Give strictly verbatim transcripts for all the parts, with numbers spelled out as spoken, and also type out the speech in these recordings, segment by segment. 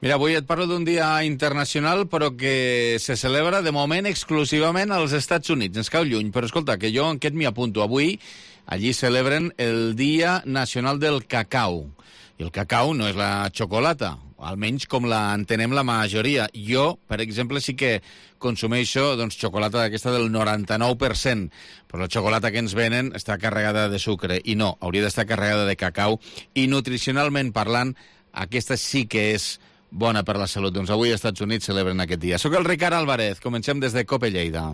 Mira, avui et parlo d'un dia internacional, però que se celebra de moment exclusivament als Estats Units. Ens cau lluny, però escolta, que jo en aquest m'hi apunto. Avui allí celebren el Dia Nacional del Cacau. I el cacau no és la xocolata, almenys com la entenem la majoria. Jo, per exemple, sí que consumeixo doncs, xocolata d'aquesta del noranta-nou per cent, però la xocolata que ens venen està carregada de sucre, i no, hauria d'estar carregada de cacau, i nutricionalment parlant, aquesta sí que és bona per la salut. Doncs avui als Estats Units celebren aquest dia. Soc el Ricard Álvarez, comencem des de Cope Lleida.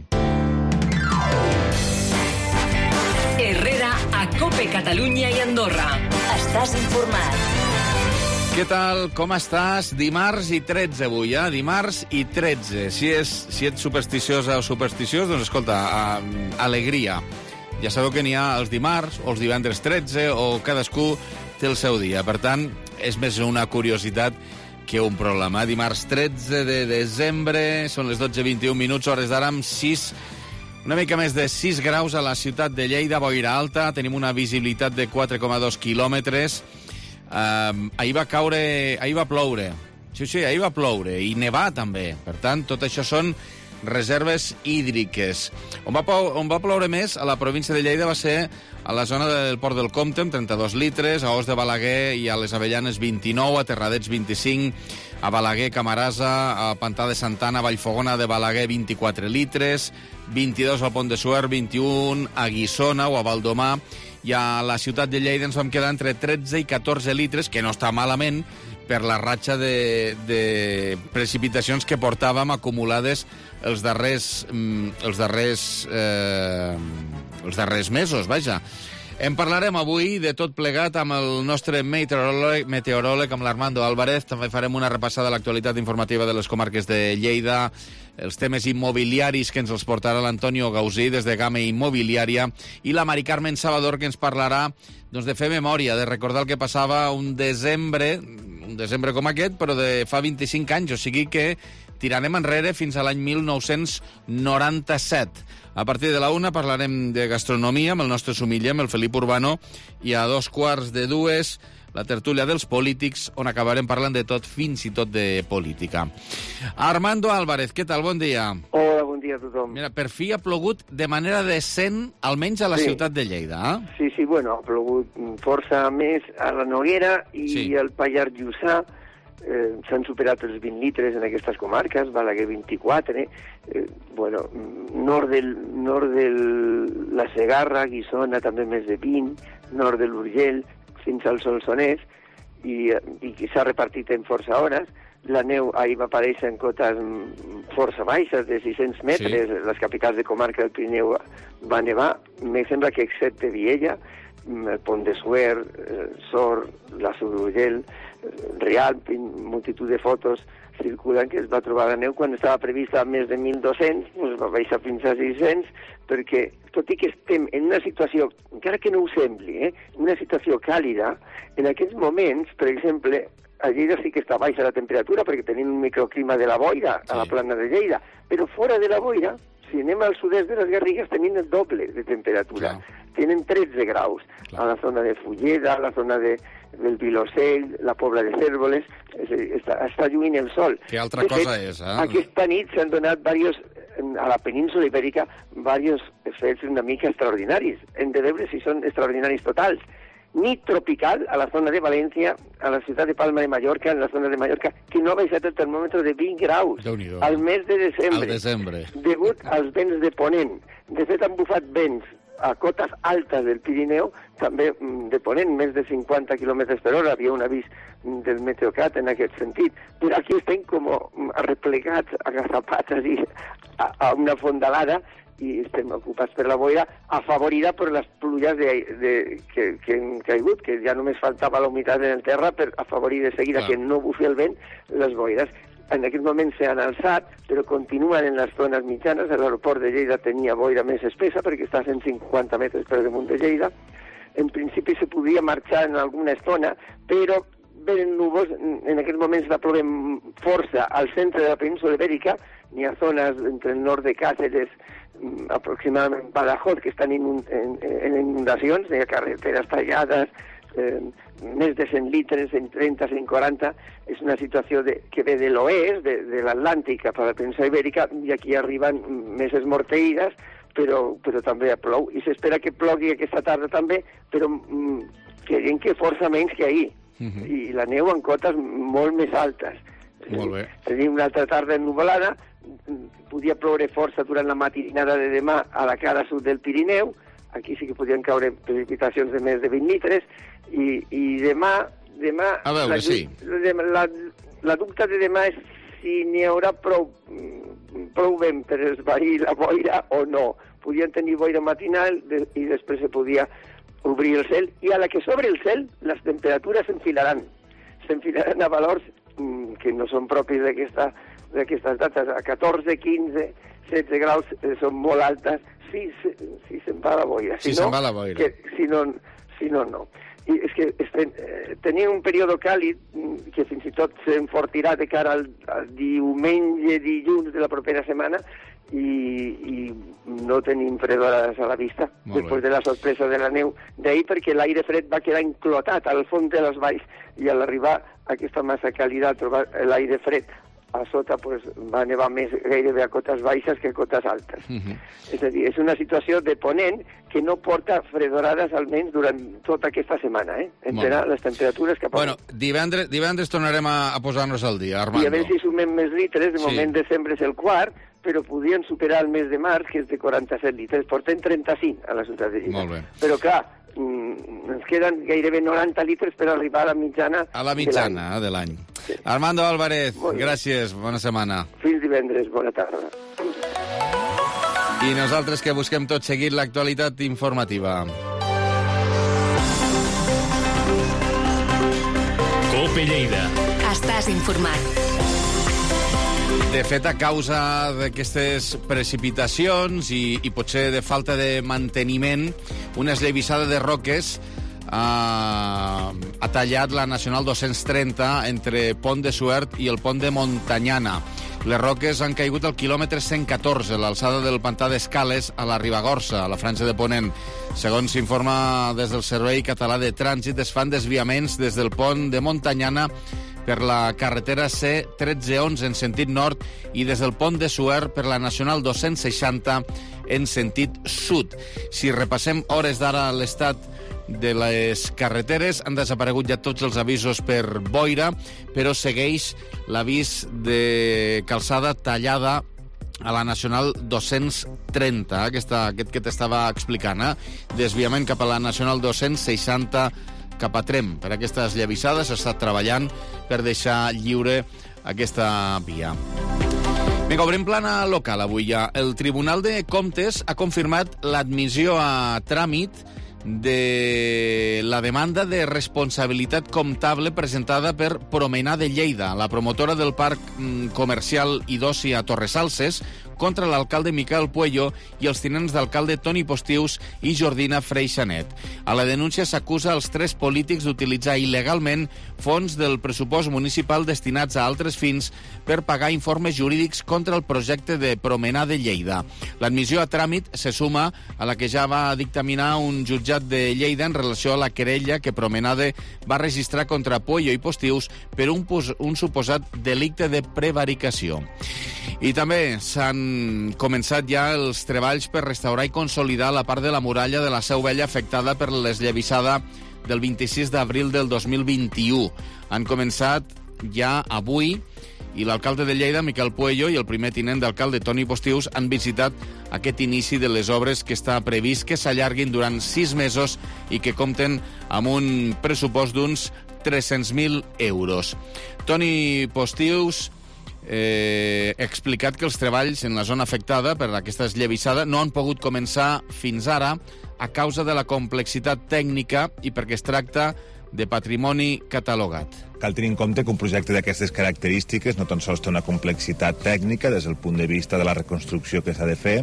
Herrera a Cope Catalunya i Andorra. Estàs informat. Què tal? Com estàs? Dimarts i tretze avui, eh? Dimarts i tretze. Si, és, si ets supersticiosa o supersticiós, doncs escolta, uh, alegria. Ja sabeu que n'hi ha els dimarts o els divendres tretze, o cadascú té el seu dia. Per tant, és més una curiositat que un problema. Dimarts tretze de desembre, són les dotze i vint-i-un minuts, hores d'ara amb sis, una mica més de sis graus a la ciutat de Lleida, boira alta, tenim una visibilitat de quatre coma dos quilòmetres. Uh, ahir va caure, ahir va ploure. Sí, sí, ahir va ploure, i nevar també. Per tant, tot això són reserves hídriques. On va, on va ploure més a la província de Lleida va ser a la zona del Port del Comte, amb trenta-dos litres, a Os de Balaguer i a les Avellanes vint-i-nou, a Terradets vint-i-cinc, a Balaguer, Camarasa, a Pantà de Santana, Vallfogona de Balaguer vint-i-quatre litres, vint-i-dos al Pont de Suert, vint-i-un a Guissona o a Valdomà, i a la ciutat de Lleida ens vam quedar entre tretze i catorze litres, que no està malament, per la ratxa de, de precipitacions que portàvem acumulades els darrers, els darrers, eh, els darrers mesos, vaja. En parlarem avui de tot plegat amb el nostre meteoròleg, meteoròleg amb l'Armando Álvarez. També farem una repassada a l'actualitat informativa de les comarques de Lleida, els temes immobiliaris que ens els portarà l'Antonio Gausí des de Game Immobiliària, i la Mari Carmen Salvador, que ens parlarà doncs, de fer memòria, de recordar el que passava un desembre, un desembre com aquest, però de fa vint-i-cinc anys, o sigui que tirarem enrere fins a l'any mil nou-cents noranta-set. A partir de la una parlarem de gastronomia amb el nostre sumiller, amb el Felip Urbano, i a dos quarts de dues la tertúlia dels polítics, on acabarem parlant de tot, fins i tot de política. Armando Álvarez, què tal? Bon dia. Hola, bon dia a tothom. Mira, per fi ha plogut de manera decent, almenys a la sí. ciutat de Lleida, eh? Sí, sí, bueno, ha plogut força més a la Noguera i sí. al Pallars Jussà. Eh, s'han superat els vint litres en aquestes comarques, Balaguer vint-i-quatre, eh, bueno, nord del, nord de la Segarra, Guissona també més de vint, nord de l'Urgell, fins al Solsonès, i, i s'ha repartit en força hores. La neu ahir va aparèixer en cotes força baixes, de sis-cents metres, sí. Les capitals de comarca del Pirineu va nevar, me sembla que excepte Viella, el Pont de Suert, Sort, la Sururgell, Rialp, multitud de fotos circulen que es va trobar la neu quan estava prevista a més de mil dos-cents, doncs va baixar fins a sis-cents, perquè tot i que estem en una situació, encara que no ho sembli, eh, una situació càlida, en aquests moments, per exemple, a Lleida sí que està baixa la temperatura perquè tenim un microclima de la boira a la plana de Lleida, però fora de la boira, si anem al sud-est de les Garrigues, tenim el doble de temperatura. Clar. Tenen tretze graus. Clar. A la zona de Fulleda, a la zona de, del Vilosell, la Pobla de Cérvoles, és, està, està lluint el sol. Que altra de cosa fet, és, eh? Aquesta nit s'han donat varios, a la península Ibèrica diversos fets una mica extraordinaris. Hem de veure si són extraordinaris totals. Nit tropical a la zona de València, a la ciutat de Palma de Mallorca, en la zona de Mallorca, que no ha baixat el termòmetre de vint graus al mes de desembre, desembre, degut als vents de ponent. De fet, han bufat vents a cotes altes del Pirineu, també de ponent, més de cinquanta quilòmetres per hora. Havia un avís del Meteocat en aquest sentit. Però aquí estem com arreplegats, agazapats, així, a, a una fondalada, i estem ocupats per la boira, afavorida per les pluges de, de, que, que han caigut, que ja només faltava la humitat en el terra per afavorir de seguida Clar. Que no bufi el vent les boires. En aquest moment s'han alçat, però continuen en les zones mitjanes. L'aeroport de Lleida tenia boira més espessa perquè està a cent cinquanta metres per damunt de Lleida. En principi se podia marxar en alguna estona, però venen núvols. En aquest moment està plovent força al centre de la península Ibèrica. N'hi ha zones entre el nord de Càceres, aproximadament Badajoz, que estan en, en, en inundacions, hi ha carreteres tallades, eh, més de cent litres, cent trenta, cent quaranta, és una situació de, que ve de l'oest, de, de l'Atlàntic cap a la península Ibèrica, i aquí arriben més esmorteïdes, però, però també plou. I s'espera que plogui aquesta tarda també, però mm, creiem que força menys que ahir. Uh-huh. I la neu en cotes molt més altes. Molt bé. Tenim una altra tarda ennuvolada, podia ploure força durant la matinada de demà a la cara sud del Pirineu, aquí sí que podien caure precipitacions de més de vint litres, i, i demà... demà a veure, la, sí. La, la, la dubte de demà és si n'hi haurà prou, prou vent per esvair la boira o no. Podien tenir boira matinal de, i després se podia obrir el cel, i a la que s'obre el cel les temperatures s'enfilaran. S'enfilaran a valors mm, que no són propis d'aquesta, d'aquestes dates. A catorze, quinze, setze graus eh, són molt altes si, si, si se'n va la boira. Si, si no, se'n va la boira. Que, si, no, si no, no. I és que este, eh, tenia un període càlid que fins i tot s'enfortirà de cara al, al diumenge, dilluns de la propera setmana, i, i no tenim fredorades a la vista després de la sorpresa de la neu d'ahir, perquè l'aire fred va quedar enclotat al fons de les valls, i a l'arribar aquesta massa càlida, a trobar l'aire fred a sota, pues, va nevar més gairebé a cotes baixes que a cotes altes. Uh-huh. És a dir, és una situació de ponent que no porta fredorades almenys durant tota aquesta setmana, eh? Entrarà les temperatures cap a... Bueno, divendres, divendres tornarem a, a posar-nos al dia, Armando. I a veure si sumem més litres, de sí. moment desembre és el quart, però podien superar el mes de març, que és de quaranta-set litres. Portem trenta-cinc a la ciutat de Lleida. Molt bé. Però clar, ens queden gairebé noranta litres per arribar a la mitjana a la mitjana de l'any. Sí. Armando Álvarez, gràcies, bona setmana. Fins divendres, bona tarda. I nosaltres que busquem tot seguit l'actualitat informativa. COPE Lleida. Estàs informat. De fet, a causa d'aquestes precipitacions i, i potser de falta de manteniment, una esllavissada de roques ha, ha tallat la Nacional dos-cents trenta entre Pont de Suert i el Pont de Montanyana. Les roques han caigut al quilòmetre cent catorze, l'alçada del pantà d'Escales, a la Ribagorça, a la Franja de Ponent. Segons s'informa des del Servei Català de Trànsit, es fan desviaments des del Pont de Montanyana per la carretera C tretze onze en sentit nord i des del Pont de Suert per la Nacional dos-cents seixanta en sentit sud. Si repassem hores d'ara l'estat de les carreteres, han desaparegut ja tots els avisos per boira, però segueix l'avís de calçada tallada a la Nacional dos-cents trenta, aquesta, aquest que t'estava explicant, eh? Desviament cap a la Nacional dos-cents seixanta cap a Trem. Per aquestes llavissades s'ha estat treballant per deixar lliure aquesta via. Vinga, obrim plana local avui ja. El Tribunal de Comptes ha confirmat l'admissió a tràmit de la demanda de responsabilitat comptable presentada per Promenade Lleida, la promotora del parc comercial i d'oci a Torresalses, contra l'alcalde Miquel Puello i els tinents d'alcalde Toni Postius i Jordina Freixanet. A la denúncia s'acusa els tres polítics d'utilitzar il·legalment fons del pressupost municipal destinats a altres fins per pagar informes jurídics contra el projecte de Promenade Lleida. L'admissió a tràmit se suma a la que ja va dictaminar un jutjat de Lleida en relació a la querella que Promenade va registrar contra Puello i Postius per un, un suposat delicte de prevaricació. I també s'han començat ja els treballs per restaurar i consolidar la part de la muralla de la Seu Vella afectada per l'esllavissada del vint-i-sis d'abril del dos mil vint-i-u. Han començat ja avui i l'alcalde de Lleida, Miquel Puello, i el primer tinent d'alcalde, Toni Postius, han visitat aquest inici de les obres que està previst que s'allarguin durant sis mesos i que compten amb un pressupost d'uns tres-cents mil euros. Toni Postius Eh, he explicat que els treballs en la zona afectada per aquesta esllavissada no han pogut començar fins ara a causa de la complexitat tècnica i perquè es tracta de patrimoni catalogat. Cal tenir en compte que un projecte d'aquestes característiques no tan sols té una complexitat tècnica des del punt de vista de la reconstrucció que s'ha de fer,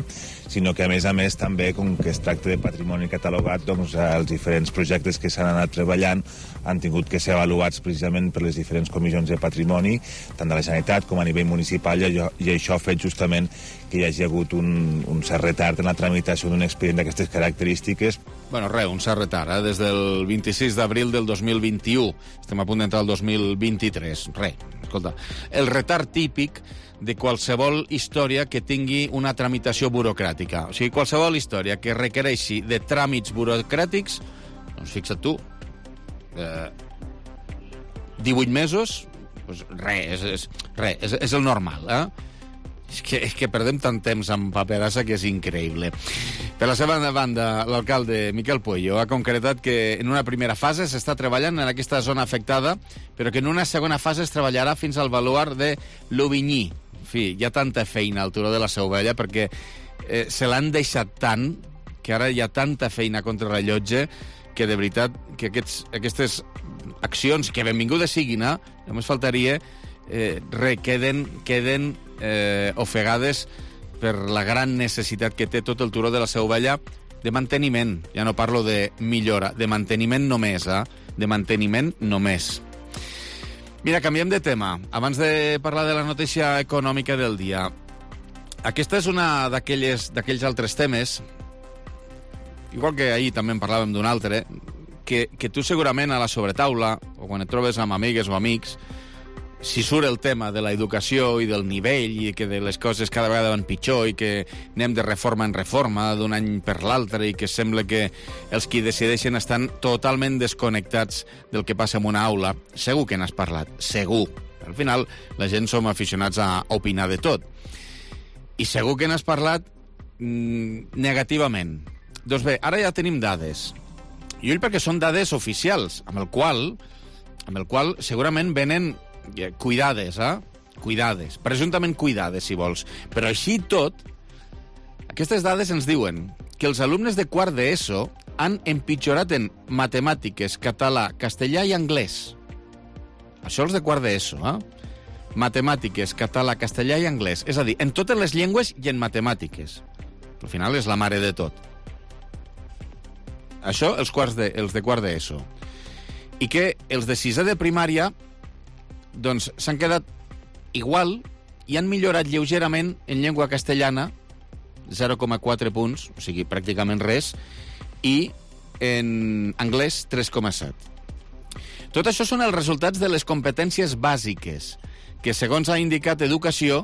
sinó que, a més a més, també, com que es tracta de patrimoni catalogat, doncs els diferents projectes que s'han anat treballant han tingut que ser avaluats precisament per les diferents comissions de patrimoni, tant de la Generalitat com a nivell municipal, i, allò, i això ha fet justament que hi hagi hagut un, un cert retard en la tramitació d'un expedient d'aquestes característiques. Bueno, res, un cert retard, eh? Des del vint-i-sis d'abril del dos mil vint-i-u. Estem a punt d'entrar al dos mil vint-i-tres. Res, escolta, el retard típic de qualsevol història que tingui una tramitació burocràtica. O sigui, qualsevol història que requereixi de tràmits burocràtics, doncs fixa't tu, eh, divuit mesos, doncs res, és, és, res, és, és el normal, eh? És que, és que perdem tant temps amb paperassa que és increïble. Per la seva banda, l'alcalde Miquel Puello ha concretat que en una primera fase s'està treballant en aquesta zona afectada, però que en una segona fase es treballarà fins al baluard de l'Aubigny. En fi, hi ha tanta feina al turó de la Seu Vella perquè eh, se l'han deixat tant que ara hi ha tanta feina contra el rellotge que de veritat que aquests, aquestes accions, que benvingudes siguin, eh, només faltaria eh, re, queden, queden eh, ofegades per la gran necessitat que té tot el turó de la Seu Vella de manteniment. Ja no parlo de millora, de manteniment només, eh? De manteniment només. Mira, canviem de tema. Abans de parlar de la notícia econòmica del dia, aquesta és una d'aquells altres temes, igual que ahir també en parlàvem d'un altre, que, que tu segurament a la sobretaula, o quan et trobes amb amigues o amics, si surt el tema de l'educació i del nivell i que de les coses cada vegada van pitjor i que anem de reforma en reforma d'un any per l'altre i que sembla que els qui decideixen estan totalment desconnectats del que passa en una aula, segur que n'has parlat, segur. Al final, la gent som aficionats a opinar de tot. I segur que n'has parlat mmm, negativament. Doncs bé, ara ja tenim dades. I ull perquè són dades oficials, amb el qual, amb el qual segurament venen cuidades, eh? Cuidades. Presumptament cuidades, si vols. Però així tot, aquestes dades ens diuen que els alumnes de quart d'ESO han empitjorat en matemàtiques, català, castellà i anglès. Això els de quart d'ESO, eh? Matemàtiques, català, castellà i anglès. És a dir, en totes les llengües i en matemàtiques. Al final és la mare de tot. Això, els, quarts de, els de quart d'ESO. I que els de sisè de primària doncs s'han quedat igual i han millorat lleugerament en llengua castellana, zero coma quatre punts, o sigui, pràcticament res, i en anglès, tres coma set. Tot això són els resultats de les competències bàsiques, que, segons ha indicat Educació,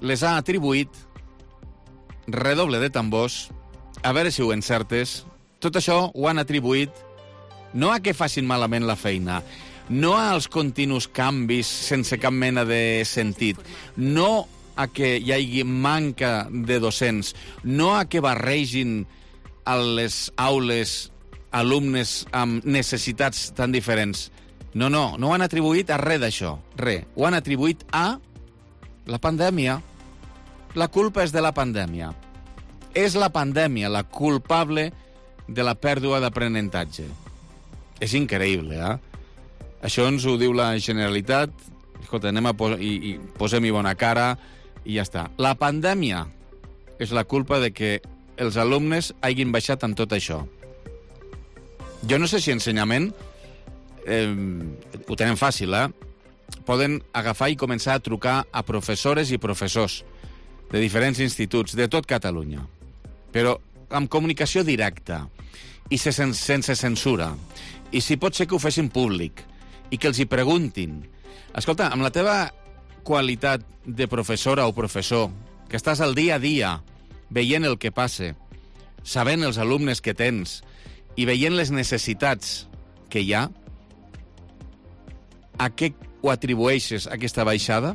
les ha atribuït, redoble de tambors, a veure si ho encertes, tot això ho han atribuït no a que facin malament la feina, no als continus canvis sense cap mena de sentit, no a que hi hagi manca de docents, no a que barregin a les aules alumnes amb necessitats tan diferents. No, no, no ho han atribuït a res d'això, res. Ho han atribuït a la pandèmia. La culpa és de la pandèmia. És la pandèmia la culpable de la pèrdua d'aprenentatge. És increïble, eh? Això ens ho diu la Generalitat. Escolta, anem a pos i, i posem-hi bona cara i ja està. La pandèmia és la culpa de que els alumnes hagin baixat en tot això. Jo no sé si ensenyament eh, ho tenen fàcil, eh? Poden agafar i començar a trucar a professores i professors de diferents instituts de tot Catalunya, però amb comunicació directa i sense censura. I si pot ser que ho fessin públic i que els hi preguntin. Escolta, amb la teva qualitat de professora o professor, que estàs al dia a dia veient el que passa, sabent els alumnes que tens i veient les necessitats que hi ha, a què ho atribueixes, aquesta baixada?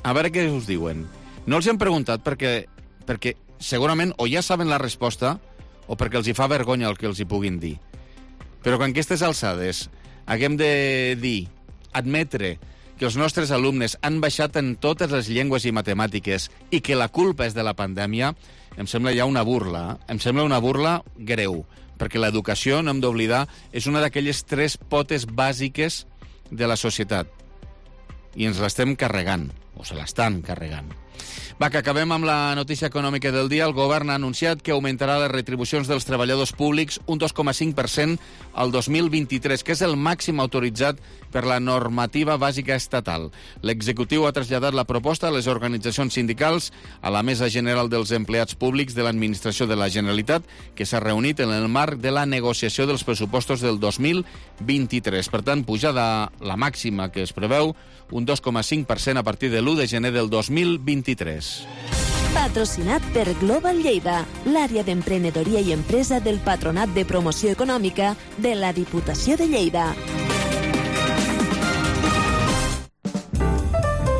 A veure què us diuen. No els hem preguntat perquè, perquè segurament o ja saben la resposta o perquè els hi fa vergonya el que els hi puguin dir. Però quan aquestes alçades haguem de dir, admetre que els nostres alumnes han baixat en totes les llengües i matemàtiques i que la culpa és de la pandèmia, em sembla ja una burla. Eh? Em sembla una burla greu, perquè l'educació, no hem d'oblidar, és una d'aquelles tres potes bàsiques de la societat. I ens l'estem carregant, o se l'estan carregant. Va, que acabem amb la notícia econòmica del dia. El govern ha anunciat que augmentarà les retribucions dels treballadors públics un dos coma cinc per cent al dos mil vint-i-tres, que és el màxim autoritzat per la normativa bàsica estatal. L'executiu ha traslladat la proposta a les organitzacions sindicals, a la Mesa General dels Empleats Públics de l'Administració de la Generalitat, que s'ha reunit en el marc de la negociació dels pressupostos del dos mil vint-i-tres. Per tant, pujada la màxima que es preveu, un dos coma cinc per cent a partir de l'u de gener del dos mil vint-i-tres. Patrocinat per Global Lleida, l'àrea d'emprenedoria i empresa del Patronat de Promoció Econòmica de la Diputació de Lleida.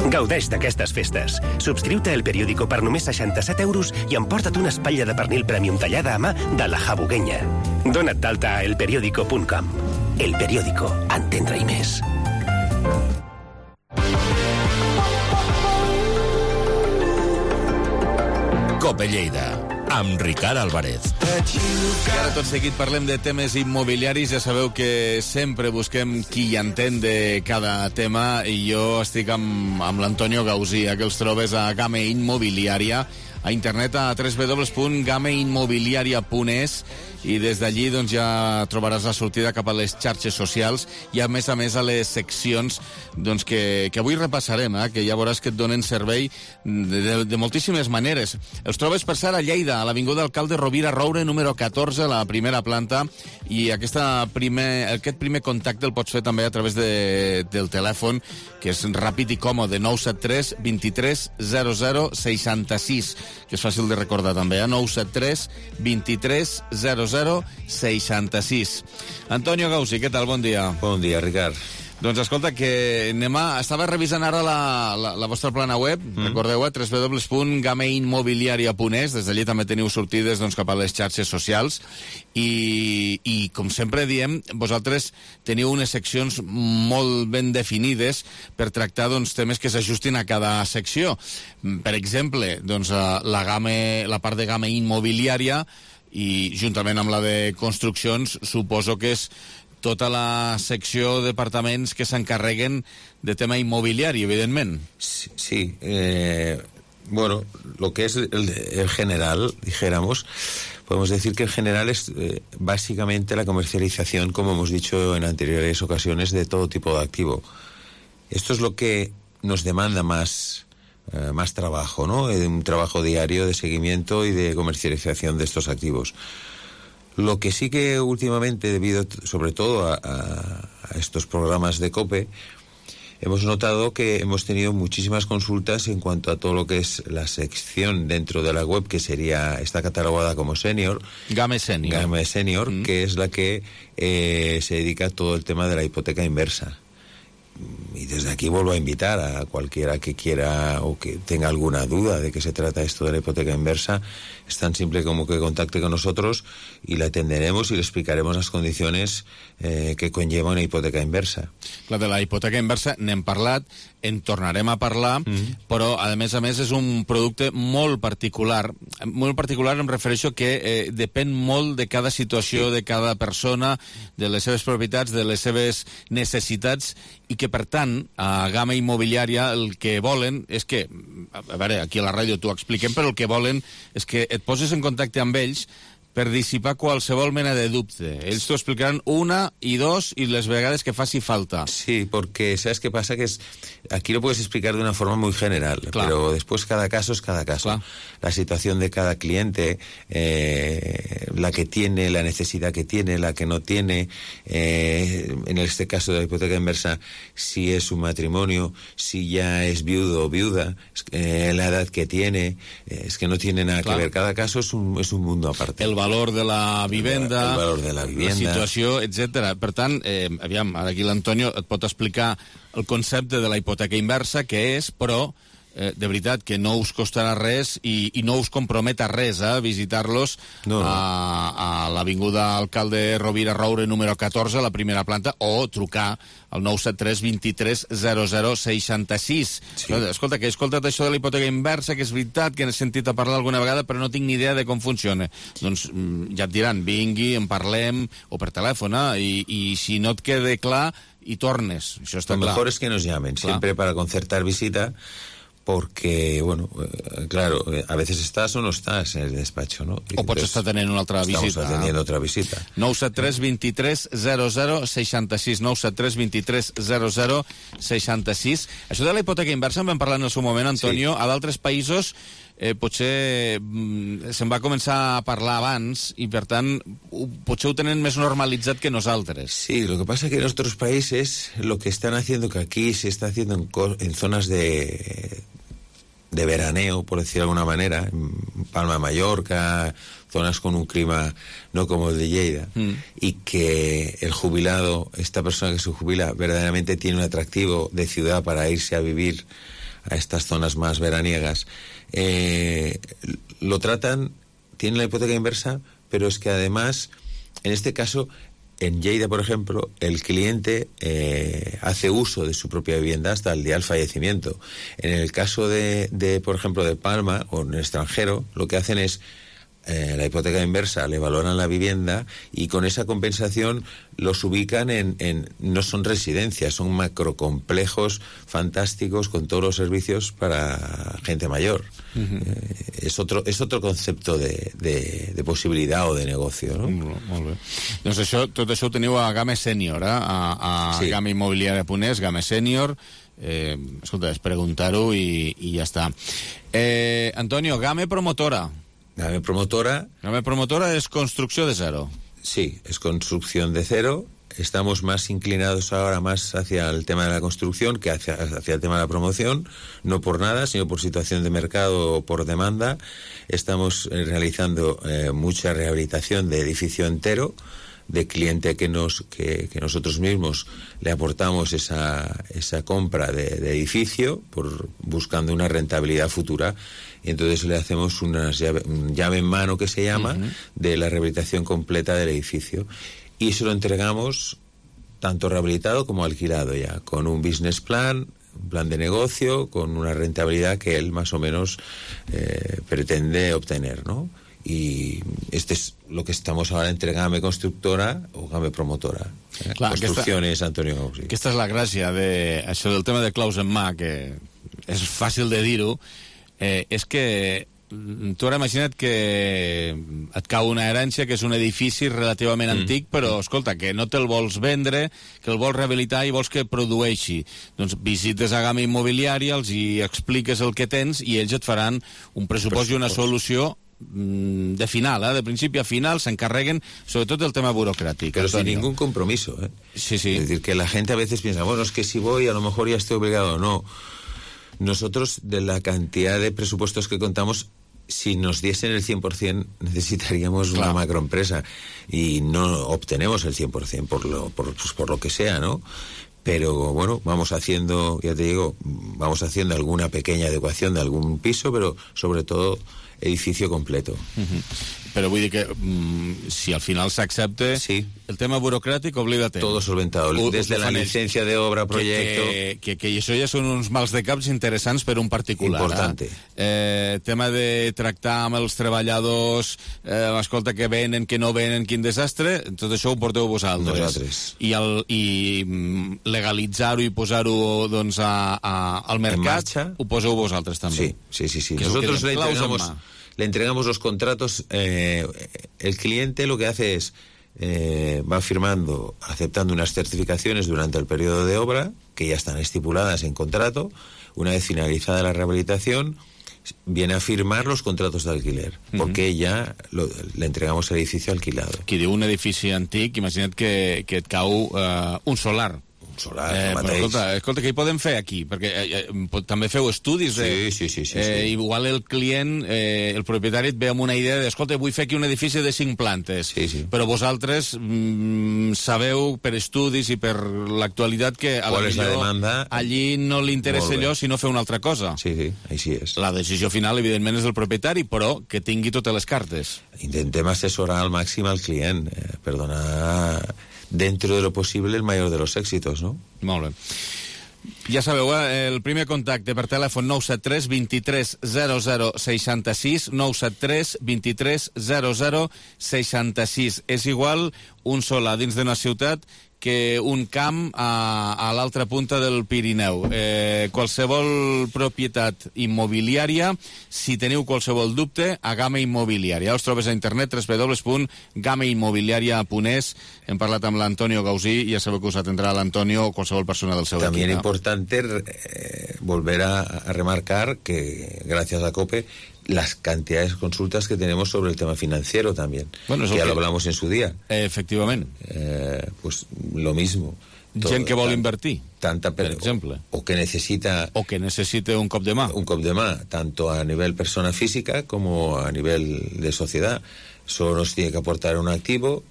Gaudeix d'aquestes festes. Subscriu-te al periòdico per només seixanta-set euros i emporta't una espatlla de pernil premium tallada a mà de la Jabuguenya. Dona't d'alta a elperiódico punt com. El Periódico, entendre i més. Cope Lleida, amb Ricard Álvarez. I ara tot seguit parlem de temes immobiliaris. Ja sabeu que sempre busquem qui hi entén de cada tema i jo estic amb, amb l'Antonio Gausía, que els trobes a Game Immobiliària, a internet a w w w punt game immobiliaria punt es, i des d'allí doncs, ja trobaràs la sortida cap a les xarxes socials i a més a més a les seccions doncs, que, que avui repassarem, eh? Que ja veuràs que et donen servei de, de, de moltíssimes maneres. Els trobes per ser a Lleida, a l'Avinguda Alcalde Rovira Roure, número catorze, a la primera planta, i aquesta primer, aquest primer contacte el pots fer també a través de, del telèfon, que és ràpid i còmode, nou set tres, vint-i-tres, zero zero, seixanta-sis, que és fàcil de recordar també, eh? nou set tres, vint-i-tres, zero zero, seixanta-sis. Antonio Gausi, què tal? Bon dia. Bon dia, Ricard. Doncs escolta, que anem a... Estava revisant ara la, la, la vostra plana web, mm. recordeu, eh? w w w punt game immobiliaria punt es, des d'allí també teniu sortides doncs, cap a les xarxes socials, i, i com sempre diem, vosaltres teniu unes seccions molt ben definides per tractar doncs, temes que s'ajustin a cada secció. Per exemple, doncs, la, game, la part de game immobiliària, i juntament amb la de construccions suposo que és tota la secció de departaments que s'encarreguen de tema immobiliari, evidentment. Sí, sí eh, bueno, lo que es el, el general, dijéramos, podemos decir que el general es eh, básicamente la comercialización, como hemos dicho en anteriores ocasiones, de todo tipo de activo. Esto es lo que nos demanda más... Uh, más trabajo, ¿no? Un trabajo diario de seguimiento y de comercialización de estos activos. Lo que sí que últimamente, debido sobre todo a, a, a estos programas de COPE, hemos notado que hemos tenido muchísimas consultas en cuanto a todo lo que es la sección dentro de la web, que sería, está catalogada como Senior. Game Senior. Game Senior, mm. que es la que eh, se dedica a todo el tema de la hipoteca inversa. Y desde aquí vuelvo a invitar a cualquiera que quiera o que tenga alguna duda de qué se trata esto de la hipoteca inversa. Es tan simple como que contacte con nosotros y le atenderemos y le explicaremos las condiciones eh, que conlleva una hipoteca inversa. La de la hipoteca inversa n'hem parlat, en tornarem a parlar, mm-hmm. però a més a més és un producte molt particular. Molt particular em refereixo que eh, depèn molt de cada situació, sí. de cada persona, de les seves propietats, de les seves necessitats, i que per tant a Game Immobiliària el que volen és que, a veure, aquí a la ràdio t'ho expliquem, però el que volen és que et poses en contacte amb ells per dissipar qualsevol mena de dubte. Ells t'ho explicaran una y dos y les vegades que faci falta. Sí, porque ¿sabes qué pasa? Que es aquí lo puedes explicar de una forma muy general, claro. pero después cada caso es cada caso. Claro. La situación de cada cliente, eh, la que tiene, la necesidad que tiene, la que no tiene, eh, en este caso de la hipoteca inversa, si es un matrimonio, si ya es viudo o viuda, eh, la edad que tiene, eh, es que no tiene nada claro. que ver. Cada caso es un, es un mundo aparte. El valor de la vivenda, el valor de la vivienda, la situació, etcètera. Per tant, eh, aviam, aquí l'Antonio et pot explicar el concepte de la hipoteca inversa, què és, però eh, de veritat que no us costarà res i, i no us compromet a res, eh, visitar-los no, no. a, a l'Avinguda Alcalde Rovira Roure número catorze, a la primera planta, o trucar al nou set tres vint tres zero zero seixanta-sis. Sí. Escolta, que he escoltat això de la hipoteca inversa, que és veritat, que n'he sentit a parlar alguna vegada, però no tinc ni idea de com funciona. Doncs ja et diran, vingui, en parlem, o per telèfon, eh? I, i si no et quede clar, i tornes. Això està Lo clar. mejor es que nos llamen, clar. Siempre para concertar visita, porque, bueno, eh, claro, a veces estás o no estás en el despacho, ¿no? Y o pots estar tenint una altra visita. Estamos atendiendo otra visita. nou set tres vint tres zero zero seixanta-sis, nou set tres vint tres zero zero seixanta-sis. Això de la hipoteca inversa en vam parlar en el seu moment, Antonio. Sí. A d'altres països eh, potser mm, se'n va començar a parlar abans i, per tant, ho, potser ho tenen més normalitzat que nosaltres. Sí, lo que pasa es que en otros países lo que están haciendo, que aquí se está haciendo en, en zonas de... de veraneo, por decir de alguna manera, en Palma de Mallorca, zonas con un clima no como el de Lleida, mm. y que el jubilado, esta persona que se jubila, verdaderamente tiene un atractivo de ciudad para irse a vivir a estas zonas más veraniegas, eh, lo tratan, tienen la hipoteca inversa, pero es que además, en este caso, en Lleida, por ejemplo, el cliente eh, hace uso de su propia vivienda hasta el día del fallecimiento. En el caso de, de, por ejemplo, de Palma o en el extranjero, lo que hacen es eh, la hipoteca inversa, le valoran la vivienda y con esa compensación los ubican en, en no son residencias, son macrocomplejos fantásticos con todos los servicios para gente mayor. Uh-huh. eh, és, otro, és otro concepte de, de, de possibilitat o de negoci, no? Molt, molt bé. Doncs això, tot això ho teniu a Game Senior, eh? a, a sí. Game Immobiliària punt es, Game Senior. Eh, escolta, és preguntar-ho i, i ja està. Eh, Antonio, Game Promotora. Game Promotora. Game Promotora es construcción de cero. Sí, es construcción de cero. Estamos más inclinados ahora más hacia el tema de la construcción que hacia, hacia el tema de la promoción, no por nada, sino por situación de mercado o por demanda. Estamos eh, realizando eh, mucha rehabilitación de edificio entero, de cliente que nos que, que nosotros mismos le aportamos esa, esa compra de, de edificio por buscando una rentabilidad futura, y entonces le hacemos una llave, un llave en mano que se llama, uh-huh, de la rehabilitación completa del edificio, y se lo entregamos tanto rehabilitado como alquilado ya, con un business plan, un plan de negocio, con una rentabilidad que él más o menos eh, pretende obtener, ¿no? Y este es lo que estamos ahora entre Game Constructora o Game Promotora. Eh? Clar, Construcciones, aquesta, Antonio. Sí. Aquesta és la gràcia de això del tema de claus en mà, que és fàcil de dir-ho, eh, és que tu ara imagina't que et cau una herència que és un edifici relativament mm. antic, però escolta, que no te'l vols vendre, que el vols rehabilitar i vols que produeixi. Doncs visites a Game Immobiliària, els hi expliques el que tens i ells et faran un pressupost i una solució de final, ¿eh? De principio a final, se encarguen sobretot del tema burocrático. Pero Antonio, sin ningún compromiso, ¿eh? Sí, sí. Es decir, que la gente a veces piensa, bueno, es que si voy a lo mejor ya estoy obligado. No. Nosotros, de la cantidad de presupuestos que contamos, si nos diesen el cien por ciento necesitaríamos claro. una macroempresa y no obtenemos el cien por ciento por lo, por, pues por lo que sea, ¿no? Pero bueno, vamos haciendo, ya te digo, vamos haciendo alguna pequeña adecuación de algún piso, pero sobre todo edificio completo. Uh-huh. Però vull dir que mm, si al final s'accepta, sí. el tema burocràtic, oblida-te. Todo solventado, o, desde la licencia de obra, proyecto... Que, que, que, que això ja són uns mals de caps interessants per un particular. Importante. Eh? Eh, tema de tractar amb els treballadors, eh, escolta, que venen, que no venen, quin desastre, tot això ho porteu vosaltres. Nosaltres. I, el, i legalitzar-ho i posar-ho doncs, a, a, al mercat, ho poseu vosaltres també. Sí, sí, sí. sí. Nosotros le entregamos... Le entregamos los contratos, eh, el cliente lo que hace es, eh, va firmando, aceptando unas certificaciones durante el periodo de obra, que ya están estipuladas en contrato. Una vez finalizada la rehabilitación, viene a firmar los contratos de alquiler, uh-huh. porque ya lo, le entregamos el edificio alquilado. Qui diu un edifici antic, imagina't que, que et cau uh, un solar, solar, eh, el mateix. Però, escolta, escolta, què hi podem fer aquí? Perquè eh, eh, també feu estudis. De, sí, sí, sí. sí, eh, sí. Igual el client, eh, el propietari et ve amb una idea de, escolta, vull fer aquí un edifici de cinc plantes. Sí, sí. Però vosaltres mm, sabeu per estudis i per l'actualitat que a la millor allí no li interessa allò si no fer una altra cosa. Sí, sí, així és. La decisió final, evidentment, és del propietari, però que tingui totes les cartes. Intentem assessorar al màxim al client eh, per donar dentro de lo posible el mayor de los éxitos, ¿no? Molt bé. Ja sabeu, eh, el primer contacte per telèfon nou set tres vint tres zero zero seixanta-sis, nou set tres vint tres zero zero seixanta-sis. És igual un sol a dins d'una ciutat que un camp a, a l'altra punta del Pirineu. Eh, qualsevol propietat immobiliària, si teniu qualsevol dubte, a Gama Immobiliària. Us trobes a internet w w w punt gama immobiliària punt es. Hem parlat amb l'Antonio Gausí i ja sabeu que us atendrà l'Antonio o qualsevol persona del seu equip. También importante eh, volver a, a remarcar que gracias a COPE las cantidades de consultas que tenemos sobre el tema financiero también, bueno, que ya que... lo hablamos en su día. Eh, efectivamente. Eh, pues lo mismo. Todo, gent que vol tant, invertir, tanta per, per exemple. O, o que necesita... O que necesite un cop de mà. Un cop de mà, tanto a nivel persona física como a nivel de sociedad. Solo nos tiene que aportar un activo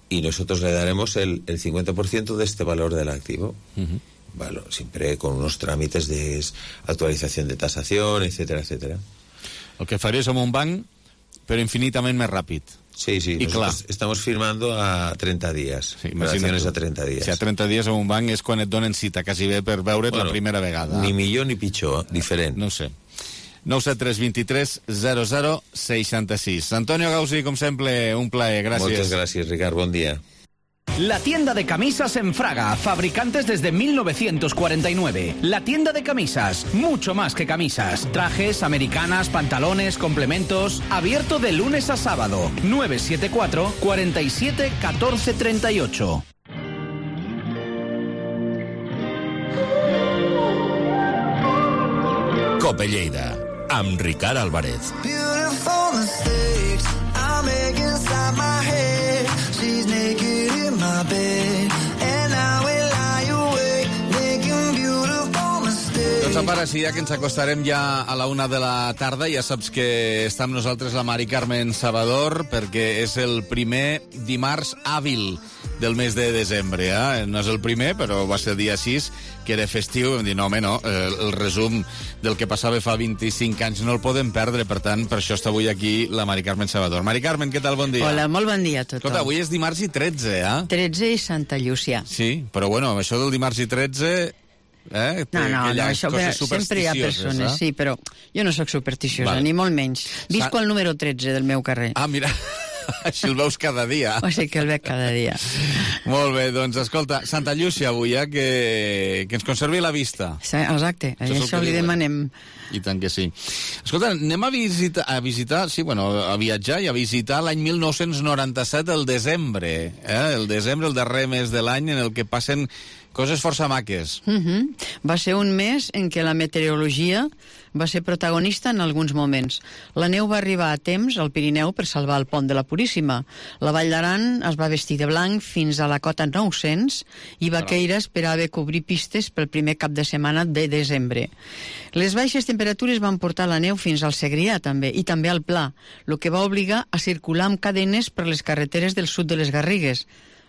y nosotros le daremos el, el cincuenta por ciento de este valor del activo. Uh-huh. Vale, siempre con unos trámites de actualización de tasación, etcétera, etcétera. El que faria és amb un banc, però infinitament més ràpid. Sí, sí, I clar, estamos firmando a treinta días. Sí, operaciones a treinta días. Si a treinta dies amb un banc és quan et donen cita quasi bé per veure't bueno, la primera vegada. Ni millor ni pitjor, diferent. No sé. nou set tres vint tres zero zero seixanta-sis. Antonio Gausí, com sempre, un plaer. Gràcies. Moltes gràcies, Ricard. Bon dia. La tienda de camisas en Fraga, fabricantes desde mil novecientos cuarenta y nueve. La tienda de camisas, mucho más que camisas. Trajes, americanas, pantalones, complementos. Abierto de lunes a sábado. nueve siete cuatro, cuatro siete, uno cuatro tres ocho. Cope Lleida, amb Ricard Álvarez. Doncs a part, si ja que ens acostarem ja a la una de la tarda, ja saps que està amb nosaltres la Mari Carmen Salvador, perquè és el primer dimarts hàbil del mes de desembre. Eh? No és el primer, però va ser el dia sis, que era festiu. Vam dir, no, home, no, el, el resum del que passava fa vint-i-cinc anys no el podem perdre, per tant, per això està avui aquí la Mari Carmen Salvador. Mari Carmen, què tal? Bon dia. Hola, molt bon dia a tothom. Escolta, avui és dimarts i tretze, eh? tretze i Santa Llúcia. Sí, però bueno, això del dimarts i tretze... Eh? No, no, no, això sempre hi ha persones, eh? Sí, però jo no sóc supersticiosa, vale. Ni molt menys. Visco Sa... el número tretze del meu carrer. Ah, mira, així el veus cada dia. O sigui que el veig cada dia. Molt bé, doncs escolta, Santa Llúcia avui, eh, que, que ens conservi la vista. Sí, exacte, això, això li demanem. I tant que sí. Escolta, anem a visitar, a visitar, sí, bueno, a viatjar i a visitar l'any mil nou-cents noranta-set, el desembre, eh? El desembre, el darrer mes de l'any en el que passen coses força maques. Uh-huh. Va ser un mes en què la meteorologia va ser protagonista en alguns moments. La neu va arribar a temps al Pirineu per salvar el pont de la Puríssima. La Vall d'Aran es va vestir de blanc fins a la cota nou-cents i Vaqueira esperava cobrir pistes pel primer cap de setmana de desembre. Les baixes temperatures van portar la neu fins al Segrià, també, i també al Pla, el que va obligar a circular amb cadenes per les carreteres del sud de les Garrigues.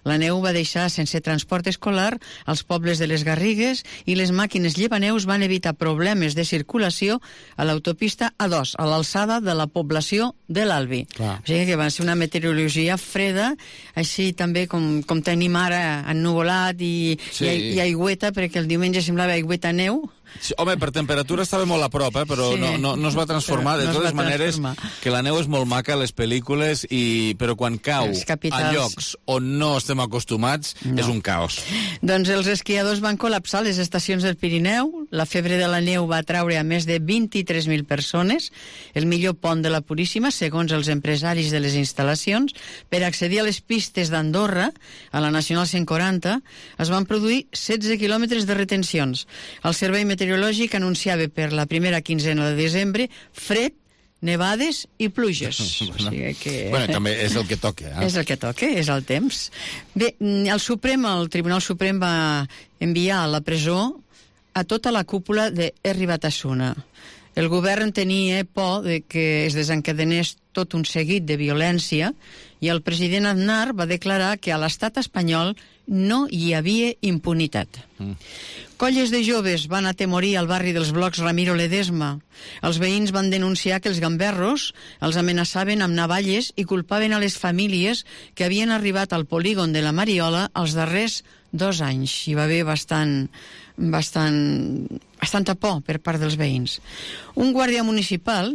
La neu va deixar sense transport escolar als pobles de les Garrigues i les màquines llevaneus van evitar problemes de circulació a l'autopista A dos, a l'alçada de la població de l'Albi. Clar. O sigui que va ser una meteorologia freda, així també com, com tenim ara ennuvolat i, sí. i, i aigüeta, perquè el diumenge semblava aigüeta neu. Sí, home, per temperatura estava molt a prop, eh, però sí. no, no, no es va transformar. De no totes maneres, que la neu és molt maca a les pel·lícules, i, però quan cau a llocs on no estem acostumats, no. És un caos. Doncs els esquiadors van col·lapsar les estacions del Pirineu, la febre de la neu va atraure a més de vint-i-tres mil persones, el millor pont de la Puríssima, segons els empresaris de les instal·lacions. Per accedir a les pistes d'Andorra, a la Nacional cent quaranta, es van produir setze quilòmetres de retencions. El servei meteorològic anunciava per la primera quinzena de desembre fred nevades i pluges. bueno, o sigui que... bueno, també és el que toca. Eh? És el que toca, és el temps. Bé, el Suprem, el Tribunal Suprem va enviar a la presó a tota la cúpula de Herri Batasuna. El govern tenia por de que es desencadenés tot un seguit de violència i el president Aznar va declarar que a l'estat espanyol no hi havia impunitat. Mm. Colles de joves van atemorir al barri dels blocs Ramiro Ledesma. Els veïns van denunciar que els gamberros els amenaçaven amb navalles i culpaven a les famílies que havien arribat al polígon de la Mariola els darrers dos anys. Hi va haver bastant, bastant, bastanta por per part dels veïns. Un guàrdia municipal,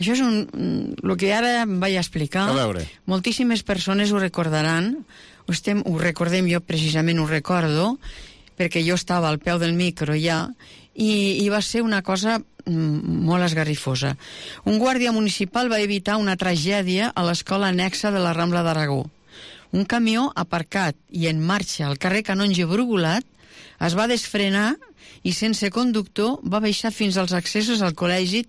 això és un, el que ara em vaig explicar, a veure. Moltíssimes persones ho recordaran, ho, estem, ho recordem, jo precisament ho recordo, perquè jo estava al peu del micro ja, i, i va ser una cosa molt esgarrifosa. Un guàrdia municipal va evitar una tragèdia a l'escola annexa de la Rambla d'Aragó. Un camió aparcat i en marxa al carrer Canonge Brugulat es va desfrenar i sense conductor va baixar fins als accessos al col·legi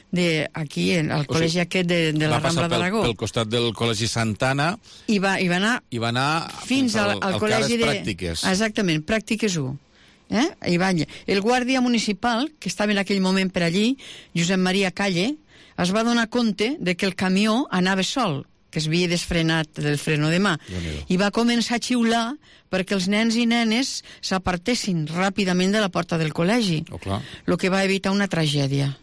de, aquí, al col·legi o sigui, aquest de, de la Rambla d'Aragó. Va passar pel, pel costat del col·legi Santana i va, i va anar, i va anar fins al, al, al col·legi de... Pràctiques. Exactament, Pràctiques u. Eh? I va, el guàrdia municipal, que estava en aquell moment per allí, Josep Maria Calle, es va donar compte de que el camió anava sol, que es havia desfrenat del freno de mà, i va començar a xiular perquè els nens i nenes s'apartessin ràpidament de la porta del col·legi, oh, clar. el que va evitar una tragèdia.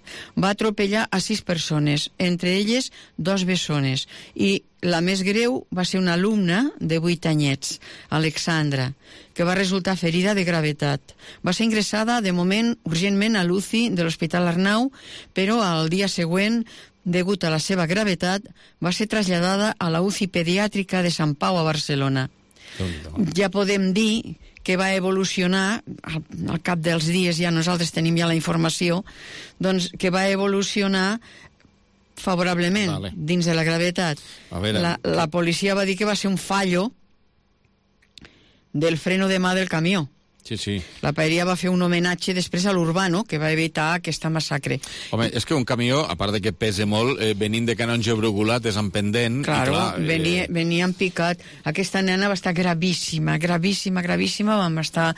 Va atropellar a sis persones, entre elles dos bessones, i la més greu va ser una alumna de vuit anyets, Alexandra, que va resultar ferida de gravetat. Va ser ingressada, de moment, urgentment a l'U C I de l'Hospital Arnau, però al dia següent, degut a la seva gravetat, va ser traslladada a la U C I pediàtrica de Sant Pau a Barcelona. Ja podem dir que va evolucionar, al, al cap dels dies ja nosaltres tenim ja la informació, doncs que va evolucionar favorablement, vale. Dins de la gravetat. La, la policia va dir que va ser un fallo del freno de mà del camió. Sí, sí. La paeria va fer un homenatge després a l'Urbano, que va evitar aquesta massacre. Home, és que un camió, a part de que pesa molt, eh, venint de Canonge Brugulat, és en pendent. Claro, i clar, venia, eh... venia en picat. Aquesta nena va estar gravíssima, gravíssima, gravíssima. Vam estar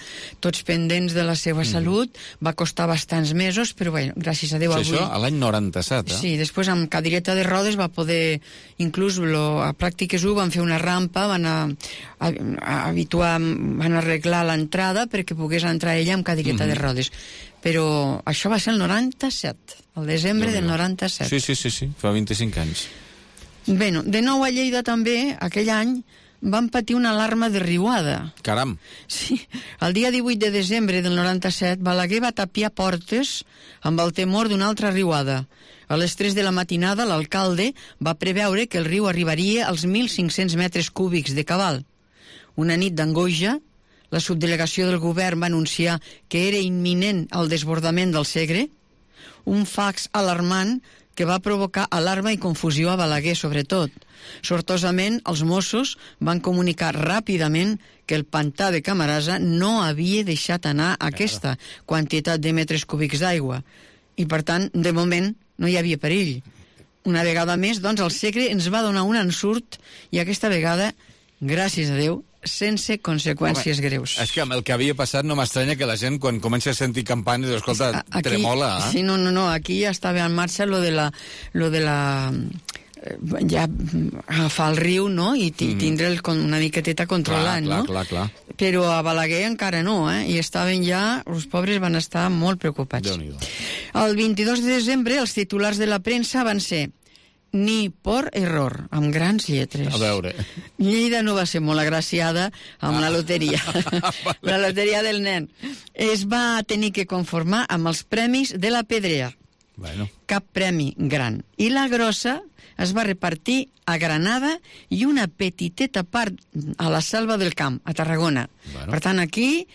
tots pendents de la seva mm. salut. Va costar bastants mesos, però bé, gràcies a Déu sí, avui... Això a l'any noranta-set, eh? Sí, després amb cadireta de rodes va poder... Inclús lo, a Pràctiques u van fer una rampa, van a, a, a habituar, van arreglar l'entrada perquè pogués entrar ella amb cadireta mm-hmm. de rodes. Però això va ser el noranta-set, el desembre no, del noranta-set. Sí, sí, sí, sí, fa vint-i-cinc anys. Bé, de nou a Lleida també, aquell any, van patir una alarma de riuada. Caram! Sí, el dia divuit de desembre del noranta-set, Balaguer va tapiar portes amb el temor d'una altra riuada. A les tres de la matinada, l'alcalde va preveure que el riu arribaria als mil cinc-cents metres cúbics de cabal. Una nit d'angoixa, la subdelegació del govern va anunciar que era imminent el desbordament del Segre, un fax alarmant que va provocar alarma i confusió a Balaguer, sobretot. Sortosament, els Mossos van comunicar ràpidament que el pantà de Camarasa no havia deixat anar aquesta quantitat de metres cúbics d'aigua. I, per tant, de moment, no hi havia perill. Una vegada més, doncs, el Segre ens va donar un ensurt i aquesta vegada, gràcies a Déu, sense conseqüències Home, greus. És que amb el que havia passat no m'estranya que la gent, quan comença a sentir campanes, escolta, aquí, tremola. Eh? Sí, no, no, no, aquí ja estava en marxa lo de la... Lo de la ja agafar el riu, no?, i tindre el, una miqueteta controlant, clar, no? Clar, clar, clar. Però a Balaguer encara no, eh? I estaven ja... Els pobres van estar molt preocupats. El vint-i-dos de desembre, els titulars de la premsa van ser ni por error, amb grans lletres. A veure. Lleida no va ser molt agraciada amb ah. la loteria. vale. La loteria del nen. Es va tenir que conformar amb els premis de la Pedrea. Bueno. Cap premi gran. I la grossa es va repartir a Granada i una petiteta part a la Selva del Camp, a Tarragona. Bueno. Per tant, aquí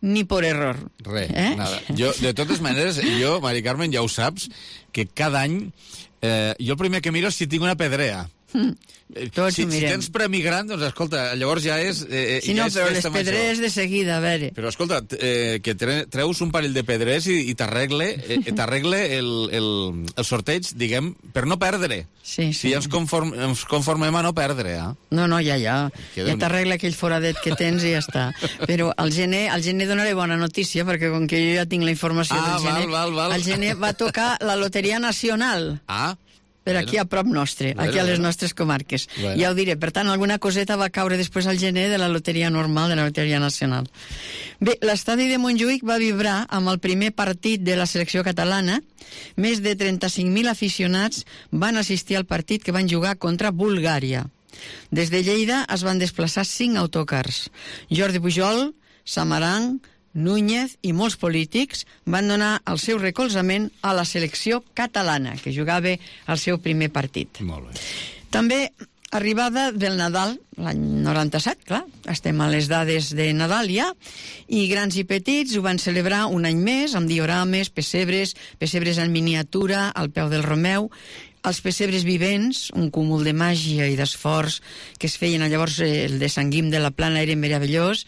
ni por error. Res, eh? nada. Jo, de totes maneres, jo, Mari Carmen, ja ho saps, que cada any eh, jo el primer que miro és si tinc una pedrea. Tots si, ho si mirem. tens premi gran, doncs escolta, llavors ja és eh, Sí, ja no, és però les festa major. pedreres de seguida, a veure. Però escolta, eh, que tre treus un parell de pedrers i, i t'arregle eh, t'arregle el, el, el sorteig, diguem, per no perdre. Sí, Si sí. ens, conform, ens conformem a no perdre, eh? No, no, ja, ja. Queda Ja un- t'arregla aquell foradet que tens i ja està. Però al gener, al gener donaré bona notícia, perquè com que jo ja tinc la informació Ah, del gener, val, val, val. al gener va tocar la Loteria Nacional. Ah, Per aquí a prop nostre, Bueno, aquí a les bueno. nostres comarques. Bueno. Ja ho diré. Per tant, alguna coseta va caure després al gener de la loteria normal, de la loteria nacional. Bé, l'estadi de Montjuïc va vibrar amb el primer partit de la selecció catalana. Més de trenta-cinc mil aficionats van assistir al partit que van jugar contra Bulgària. Des de Lleida es van desplaçar cinc autocars. Jordi Pujol, Samaranch, Núñez i molts polítics van donar el seu recolzament a la selecció catalana, que jugava el seu primer partit. molt bé. També arribada del Nadal, l'any noranta-set, clar, estem a les dades de Nadal ja, i grans i petits ho van celebrar un any més, amb diorames, pessebres, pessebres en miniatura, al peu del Romeu, els pessebres vivents, un cúmul de màgia i d'esforç que es feien llavors, eh, el de Sant Guim de la Plana era meravellós,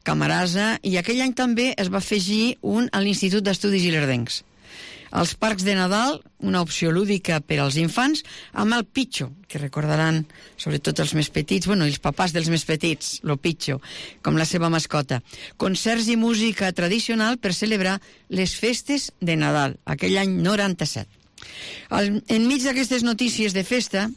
Camarasa, i aquell any també es va afegir un a l'Institut d'Estudis Ilerdencs. Els parcs de Nadal, una opció lúdica per als infants, amb el pitxo, que recordaran sobretot els més petits, bueno, els papàs dels més petits, lo pitxo, com la seva mascota. Concerts i música tradicional per celebrar les festes de Nadal, aquell any noranta-set. Al, enmig d'aquestes notícies de festa,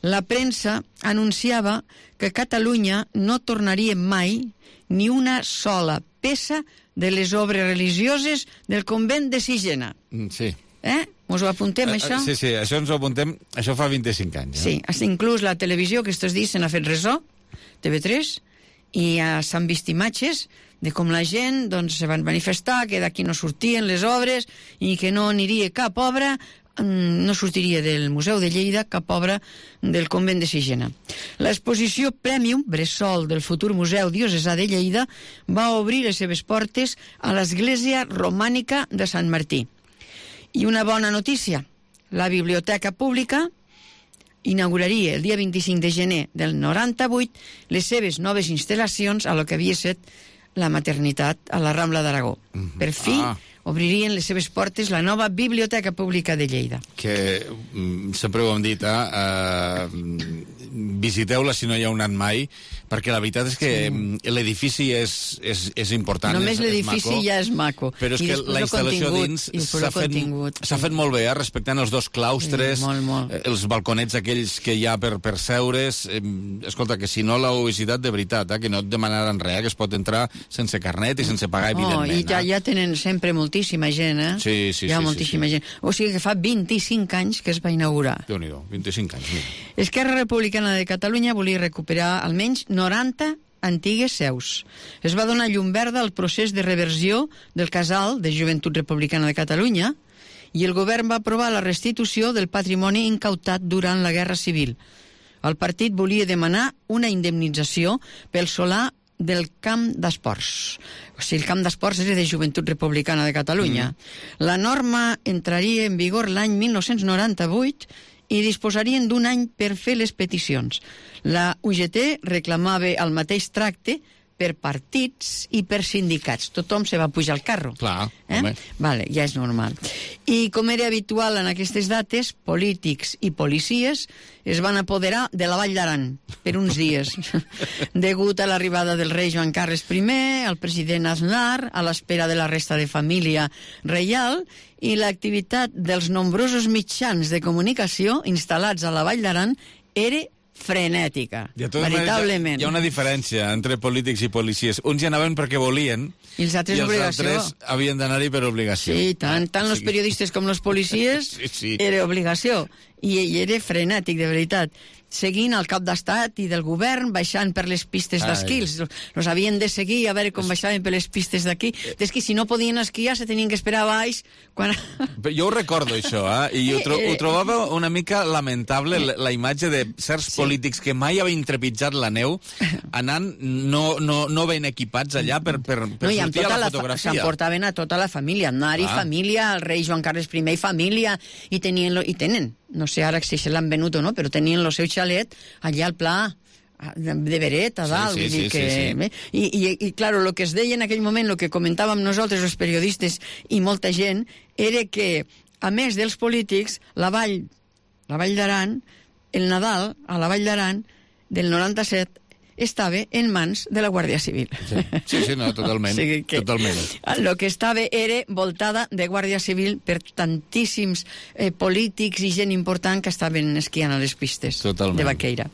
la premsa anunciava que Catalunya no tornaria mai ni una sola peça de les obres religioses del convent de Sigena. Mm, Sí. Eh? Us ho apuntem, Eh, això? Sí, sí, això ens ho apuntem, això fa vint-i-cinc anys. Sí, hasta inclús la televisió, que estos dies se n'ha fet ressò, T V tres, i ja s'han vist imatges de com la gent doncs, se van manifestar que d'aquí no sortien les obres i que no aniria cap obra, no sortiria del Museu de Lleida cap obra del convent de Sigena. L'exposició Premium Bressol del futur Museu Diocesà de Lleida va obrir les seves portes a l'església romànica de Sant Martí. I una bona notícia, la Biblioteca Pública inauguraria el dia vint-i-cinc de gener del noranta-vuit les seves noves instal·lacions a lo que havia estat la maternitat a la Rambla d'Aragó. Mm-hmm. Per fi Ah. obririen les seves portes la nova Biblioteca Pública de Lleida. Que mm, sempre ho hem dit, eh? uh, visiteu-la si no hi heu anat mai, perquè la veritat és que sí. l'edifici és, és, és important. Només és, l'edifici és ja és maco. Però és I que després la el instal·lació contingut, dins i després s'ha el fet, contingut, s'ha fet molt bé, eh? Respectant els dos claustres, Sí, molt, molt. eh, els balconets aquells que hi ha per, per seure's. Eh, escolta, que si no l'heu visitat de veritat, eh? Que no et demanaran res, que es pot entrar sense carnet i sense pagar, Oh, evidentment. I ja, eh? ja tenen sempre moltíssima gent, eh? Sí, sí, Hi ha sí, moltíssima sí, sí. gent. O sigui que fa vint-i-cinc anys que es va inaugurar. Déu-n'hi-do, vint-i-cinc anys. Mira. Esquerra Republicana de Catalunya volia recuperar almenys noranta antigues seus. Es va donar llum verda al procés de reversió del casal de Joventut Republicana de Catalunya i el govern va aprovar la restitució del patrimoni incautat durant la Guerra Civil. El partit volia demanar una indemnització pel solar del camp d'esports. O sigui, el camp d'esports era de Joventut Republicana de Catalunya. Mm. La norma entraria en vigor l'any mil nou-cents noranta-vuit i disposarien d'un any per fer les peticions. La U G T reclamava el mateix tracte per partits i per sindicats. Tothom se va pujar al carro. Clar, eh? home. Vale, ja és normal. I com era habitual en aquestes dates, polítics i policies es van apoderar de la Vall d'Aran per uns dies, degut a l'arribada del rei Joan Carles primer, el president Aznar, a l'espera de la resta de família reial, i l'activitat dels nombrosos mitjans de comunicació instal·lats a la Vall d'Aran era frenètica, De totes maneres, veritablement. hi ha una diferència entre polítics i policies. Uns hi anaven perquè volien I els altres i els obligació. altres havien d'anar-hi per obligació. Sí, tant, tant els periodistes com els policies Sí, sí. era obligació. I, I era frenètic, de veritat. Seguint el cap d'estat i del govern, baixant per les pistes Ai. d'esquí. Els, els havien de seguir a veure com baixaven per les pistes d'aquí. És que si no podien esquiar, se tenien que esperar a baix. Quan... Jo ho recordo, això, eh? I ho, tro ho trobava una mica lamentable, la, la imatge de certs Sí, polítics que mai havien trepitjat la neu, anant no, no, no ben equipats allà per, per, per no, sortir a la fotografia. S'emportaven a tota la família, Aznar i família, el rei Joan Carles primer i família, i tenien, lo, i tenen, no sé ara si se l'han venut o no, però tenien el seu xalet allà al pla de Beret, a dalt. Sí, sí, sí, que, sí, sí. I, i, i, claro, el que es deia en aquell moment, el que comentàvem nosaltres, els periodistes i molta gent, era que, a més dels polítics, la Vall, la Vall d'Aran, el Nadal, a la Vall d'Aran, del noranta-set, estava en mans de la Guàrdia Civil. Sí, sí, sí no, totalment. O sigui que totalment. El que estava era voltada de Guàrdia Civil per tantíssims eh, polítics i gent important que estaven esquiant a les pistes totalment. De Baqueira.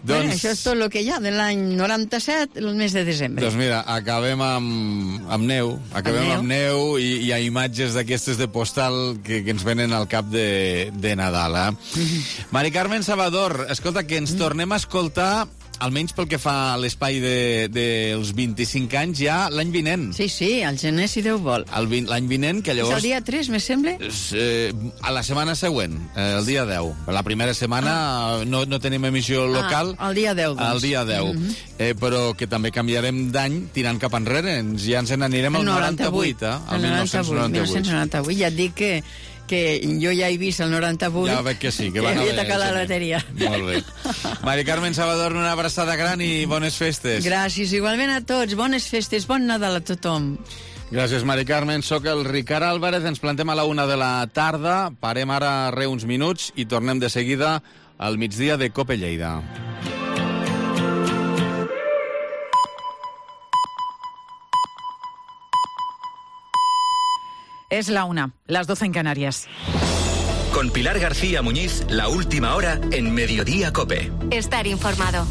Doncs... Bueno, això és tot el que hi ha de l'any noranta-set, el mes de desembre. Doncs mira, acabem amb, amb neu, acabem amb neu, amb neu i hi ha imatges d'aquestes de postal que, que ens venen al cap de, de Nadal. Eh? Mm-hmm. Mari Carmen Salvador, escolta, que ens mm. tornem a escoltar, almenys pel que fa a l'espai dels de, de vint-i-cinc anys, ja l'any vinent. Sí, sí, al gener, si Déu vol. L'any vinent, que llavors... És el dia tres, me sembla? Eh, a la setmana següent, eh, el dia deu. La primera setmana ah. no, no tenim emissió local. Ah, el dia deu, doncs. El dia deu. Mm-hmm. eh, però que també canviarem d'any tirant cap enrere. Ens, ja ens n'anirem al noranta-vuit, eh? El noranta-vuit. noranta-vuit. Ja et dic que... que jo ja he vist el noranta-vuit. Ja veig que sí, que, que van havia tocat la loteria. Molt bé. Mari Carmen Salvador, una abraçada gran i bones festes. Gràcies, igualment a tots. Bones festes, bon Nadal a tothom. Gràcies, Mari Carmen. Soc el Ricard Álvarez. Ens plantem a la una de la tarda. Parem ara re uns minuts i tornem de seguida al migdia de Cope Lleida. Es la una, las doce en Canarias. Con Pilar García Muñiz, la última hora en Mediodía Cope. Estar informado.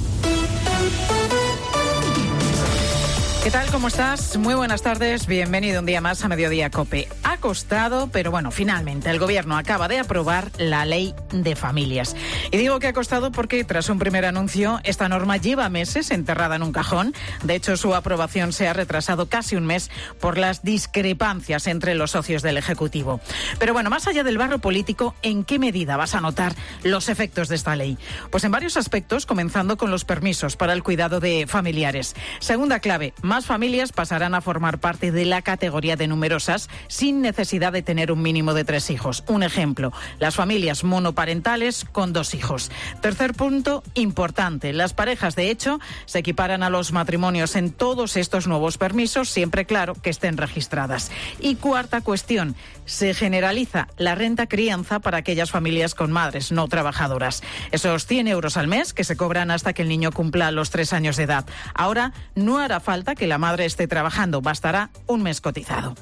¿Qué tal? ¿Cómo estás? Muy buenas tardes. Bienvenido un día más a Mediodía Cope. Ha costado, pero bueno, finalmente el Gobierno acaba de aprobar la Ley de Familias. Y digo que ha costado porque tras un primer anuncio, esta norma lleva meses enterrada en un cajón. De hecho, su aprobación se ha retrasado casi un mes por las discrepancias entre los socios del Ejecutivo. Pero bueno, más allá del barro político, ¿en qué medida vas a notar los efectos de esta ley? Pues en varios aspectos, comenzando con los permisos para el cuidado de familiares. Segunda clave, más familias pasarán a formar parte de la categoría de numerosas sin necesidad de tener un mínimo de tres hijos. Un ejemplo, las familias monoparentales con dos hijos. Tercer punto, importante, las parejas de hecho se equiparan a los matrimonios en todos estos nuevos permisos, siempre claro que estén registradas. Y cuarta cuestión, se generaliza la renta crianza para aquellas familias con madres no trabajadoras. Esos cien euros al mes que se cobran hasta que el niño cumpla los tres años de edad. Ahora no hará falta que la madre esté trabajando, bastará un mes cotizado.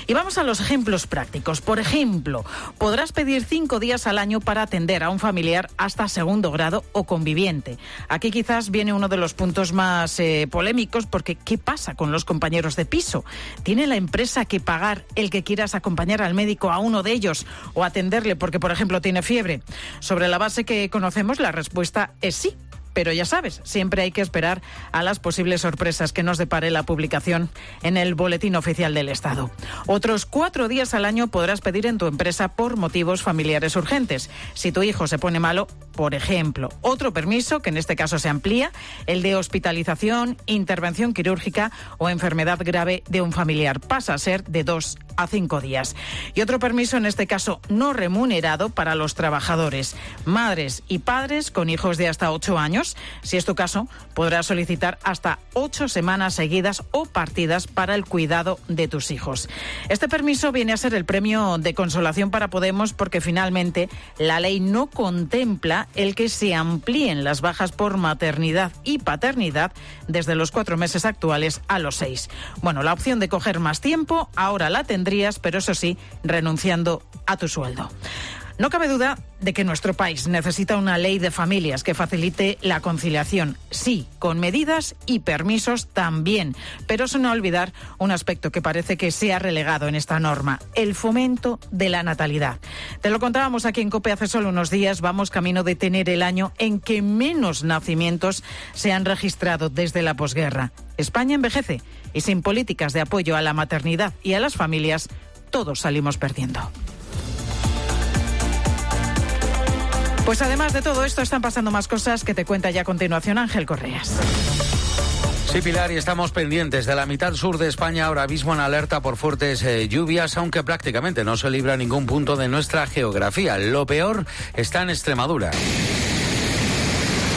Y vamos a los ejemplos prácticos. Por ejemplo, podrás pedir cinco días al año para atender a un familiar hasta segundo grado o conviviente. Aquí quizás viene uno de los puntos más eh, polémicos, porque ¿qué pasa con los compañeros de piso? ¿Tiene la empresa que pagar el que quieras acompañar al médico a uno de ellos o atenderle porque, por ejemplo, tiene fiebre? Sobre la base que conocemos, la respuesta es sí. Pero ya sabes, siempre hay que esperar a las posibles sorpresas que nos depare la publicación en el Boletín Oficial del Estado. Otros cuatro días al año podrás pedir en tu empresa por motivos familiares urgentes. Si tu hijo se pone malo, por ejemplo. Otro permiso, que en este caso se amplía, el de hospitalización, intervención quirúrgica o enfermedad grave de un familiar. Pasa a ser de dos a cinco días. Y otro permiso, en este caso no remunerado, para los trabajadores, madres y padres con hijos de hasta ocho años. Si es tu caso, podrás solicitar hasta ocho semanas seguidas o partidas para el cuidado de tus hijos. Este permiso viene a ser el premio de consolación para Podemos, porque finalmente la ley no contempla el que se amplíen las bajas por maternidad y paternidad desde los cuatro meses actuales a los seis. Bueno, la opción de coger más tiempo ahora la tendrías, pero eso sí, renunciando a tu sueldo. No cabe duda de que nuestro país necesita una ley de familias que facilite la conciliación, sí, con medidas y permisos también, pero sin olvidar un aspecto que parece que se ha relegado en esta norma, el fomento de la natalidad. Te lo contábamos aquí en COPE hace solo unos días, vamos camino de tener el año en que menos nacimientos se han registrado desde la posguerra. España envejece y sin políticas de apoyo a la maternidad y a las familias, todos salimos perdiendo. Pues además de todo esto están pasando más cosas que te cuenta ya a continuación Ángel Correas. Sí, Pilar, y estamos pendientes de la mitad sur de España, ahora mismo en alerta por fuertes eh, lluvias, aunque prácticamente no se libra ningún punto de nuestra geografía. Lo peor está en Extremadura.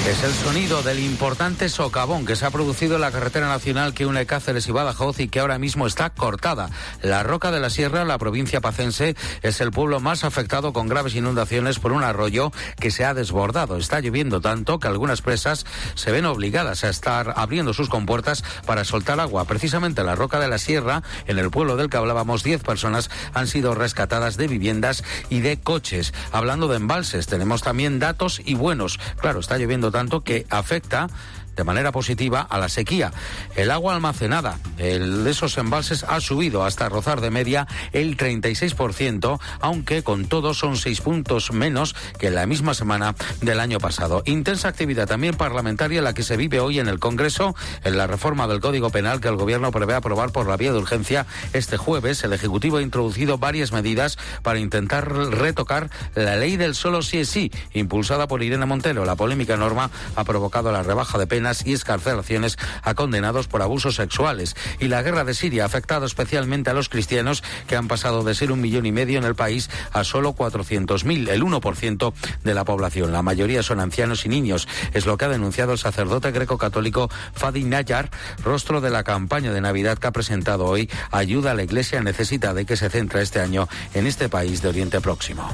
Es el sonido del importante socavón que se ha producido en la carretera nacional que une Cáceres y Badajoz y que ahora mismo está cortada. La Roca de la Sierra, la provincia pacense, es el pueblo más afectado con graves inundaciones por un arroyo que se ha desbordado. Está lloviendo tanto que algunas presas se ven obligadas a estar abriendo sus compuertas para soltar agua. Precisamente en la Roca de la Sierra, en el pueblo del que hablábamos, diez personas han sido rescatadas de viviendas y de coches. Hablando de embalses, tenemos también datos y buenos. Claro, está lloviendo tanto tanto que afecta de manera positiva a la sequía. El agua almacenada el de esos embalses ha subido hasta rozar de media el treinta y seis por ciento, aunque con todo son seis puntos menos que en la misma semana del año pasado. Intensa actividad también parlamentaria la que se vive hoy en el Congreso en la reforma del Código Penal que el Gobierno prevé aprobar por la vía de urgencia este jueves. El Ejecutivo ha introducido varias medidas para intentar retocar la ley del solo sí es sí, impulsada por Irene Montero. La polémica norma ha provocado la rebaja de penas y excarcelaciones a condenados por abusos sexuales. Y la guerra de Siria ha afectado especialmente a los cristianos, que han pasado de ser un millón y medio en el país a solo cuatrocientos mil, el uno por ciento de la población. La mayoría son ancianos y niños. Es lo que ha denunciado el sacerdote greco-católico Fadi Nayar, rostro de la campaña de Navidad que ha presentado hoy Ayuda a la Iglesia Necesitada y que se centra este año en este país de Oriente Próximo.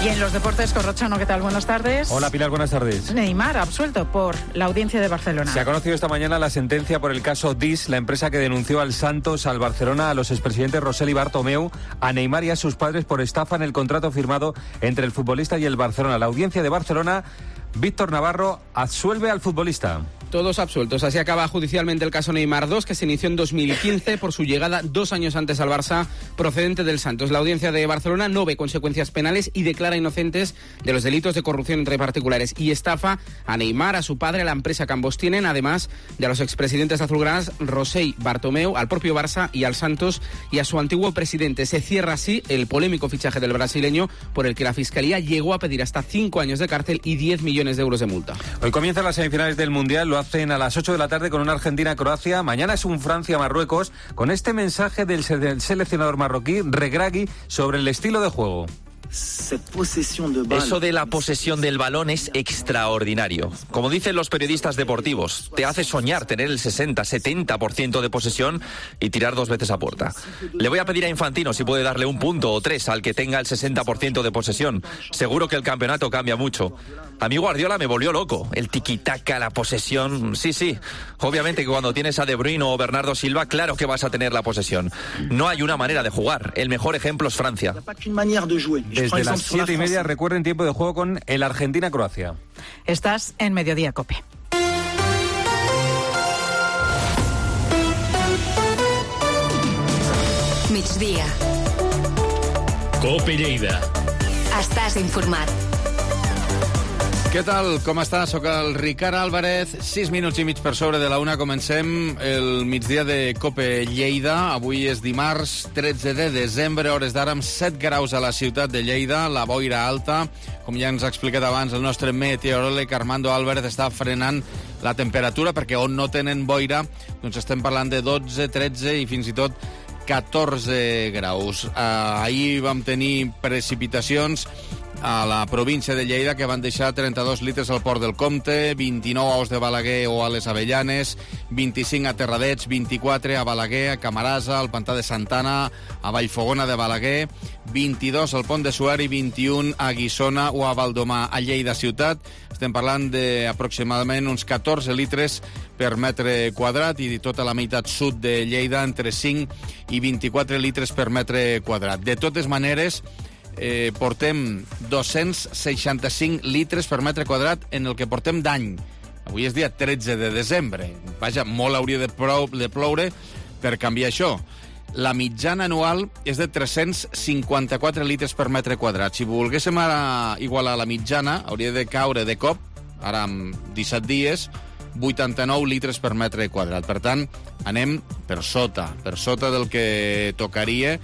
Y en los deportes, Corrochano, ¿qué tal? Buenas tardes. Hola, Pilar, buenas tardes. Neymar, absuelto por la Audiencia de Barcelona. Se ha conocido esta mañana la sentencia por el caso D I S, la empresa que denunció al Santos, al Barcelona, a los expresidentes Rosell y Bartomeu, a Neymar y a sus padres por estafa en el contrato firmado entre el futbolista y el Barcelona. La Audiencia de Barcelona, Víctor Navarro, absuelve al futbolista. Todos absueltos. Así acaba judicialmente el caso Neymar dos, que se inició en dos mil quince por su llegada dos años antes al Barça, procedente del Santos. La Audiencia de Barcelona no ve consecuencias penales y declara inocentes de los delitos de corrupción entre particulares y estafa a Neymar, a su padre, a la empresa que ambos tienen, además de a los expresidentes azulgranas Rosell, Bartomeu, al propio Barça y al Santos y a su antiguo presidente. Se cierra así el polémico fichaje del brasileño, por el que la Fiscalía llegó a pedir hasta cinco años de cárcel y diez millones de euros de multa. Hoy comienzan las semifinales del Mundial, lo hacen a las ocho de la tarde con una Argentina-Croacia. Mañana es un Francia-Marruecos, con este mensaje del seleccionador marroquí, Regragui, sobre el estilo de juego. Eso de la posesión del balón es extraordinario. Como dicen los periodistas deportivos, te hace soñar tener el sesenta setenta por ciento de posesión y tirar dos veces a puerta. Le voy a pedir a Infantino si puede darle un punto o tres al que tenga el sesenta por ciento de posesión. Seguro que el campeonato cambia mucho. A mí Guardiola me volvió loco. El tiki-taka, la posesión... Sí, sí. Obviamente que cuando tienes a De Bruyne o Bernardo Silva, claro que vas a tener la posesión. No hay una manera de jugar. El mejor ejemplo es Francia. Desde las siete y media recuerden tiempo de juego con el Argentina-Croacia. Estás en Mediodía Cope. Migdia. Cope Lleida. Estàs informat. Què tal? Com està? Soc el Ricard Álvarez. Sis minuts i mig per sobre de la una. Comencem el migdia de Cope Lleida. Avui és dimarts tretze de desembre, hores d'ara amb set graus a la ciutat de Lleida, la boira alta. Com ja ens ha explicat abans el nostre meteoròleg Armando Álvarez, està frenant la temperatura perquè on no tenen boira doncs estem parlant de dotze, tretze i fins i tot catorze graus. Uh, ahir vam tenir precipitacions a la província de Lleida que van deixar trenta-dos litres al Port del Comte, vint-i-nou a Os de Balaguer o a les Avellanes, vint-i-cinc a Terradets, vint-i-quatre a Balaguer, a Camarasa, al Pantà de Santana, a Vallfogona de Balaguer, vint-i-dos al Pont de Suert i vint-i-un a Guissona o a Valdomar. A Lleida ciutat estem parlant d'aproximadament uns catorze litres per metre quadrat i tota la meitat sud de Lleida entre cinc i vint-i-quatre litres per metre quadrat. De totes maneres, eh, portem dos-cents seixanta-cinc litres per metre quadrat en el que portem d'any. Avui és dia tretze de desembre. Vaja, molt hauria de, prou, de ploure per canviar això. La mitjana anual és de tres-cents cinquanta-quatre litres per metre quadrat. Si volguéssim ara igualar la mitjana, hauria de caure de cop, ara amb disset dies, vuitanta-nou litres per metre quadrat. Per tant, anem per sota, per sota del que tocaria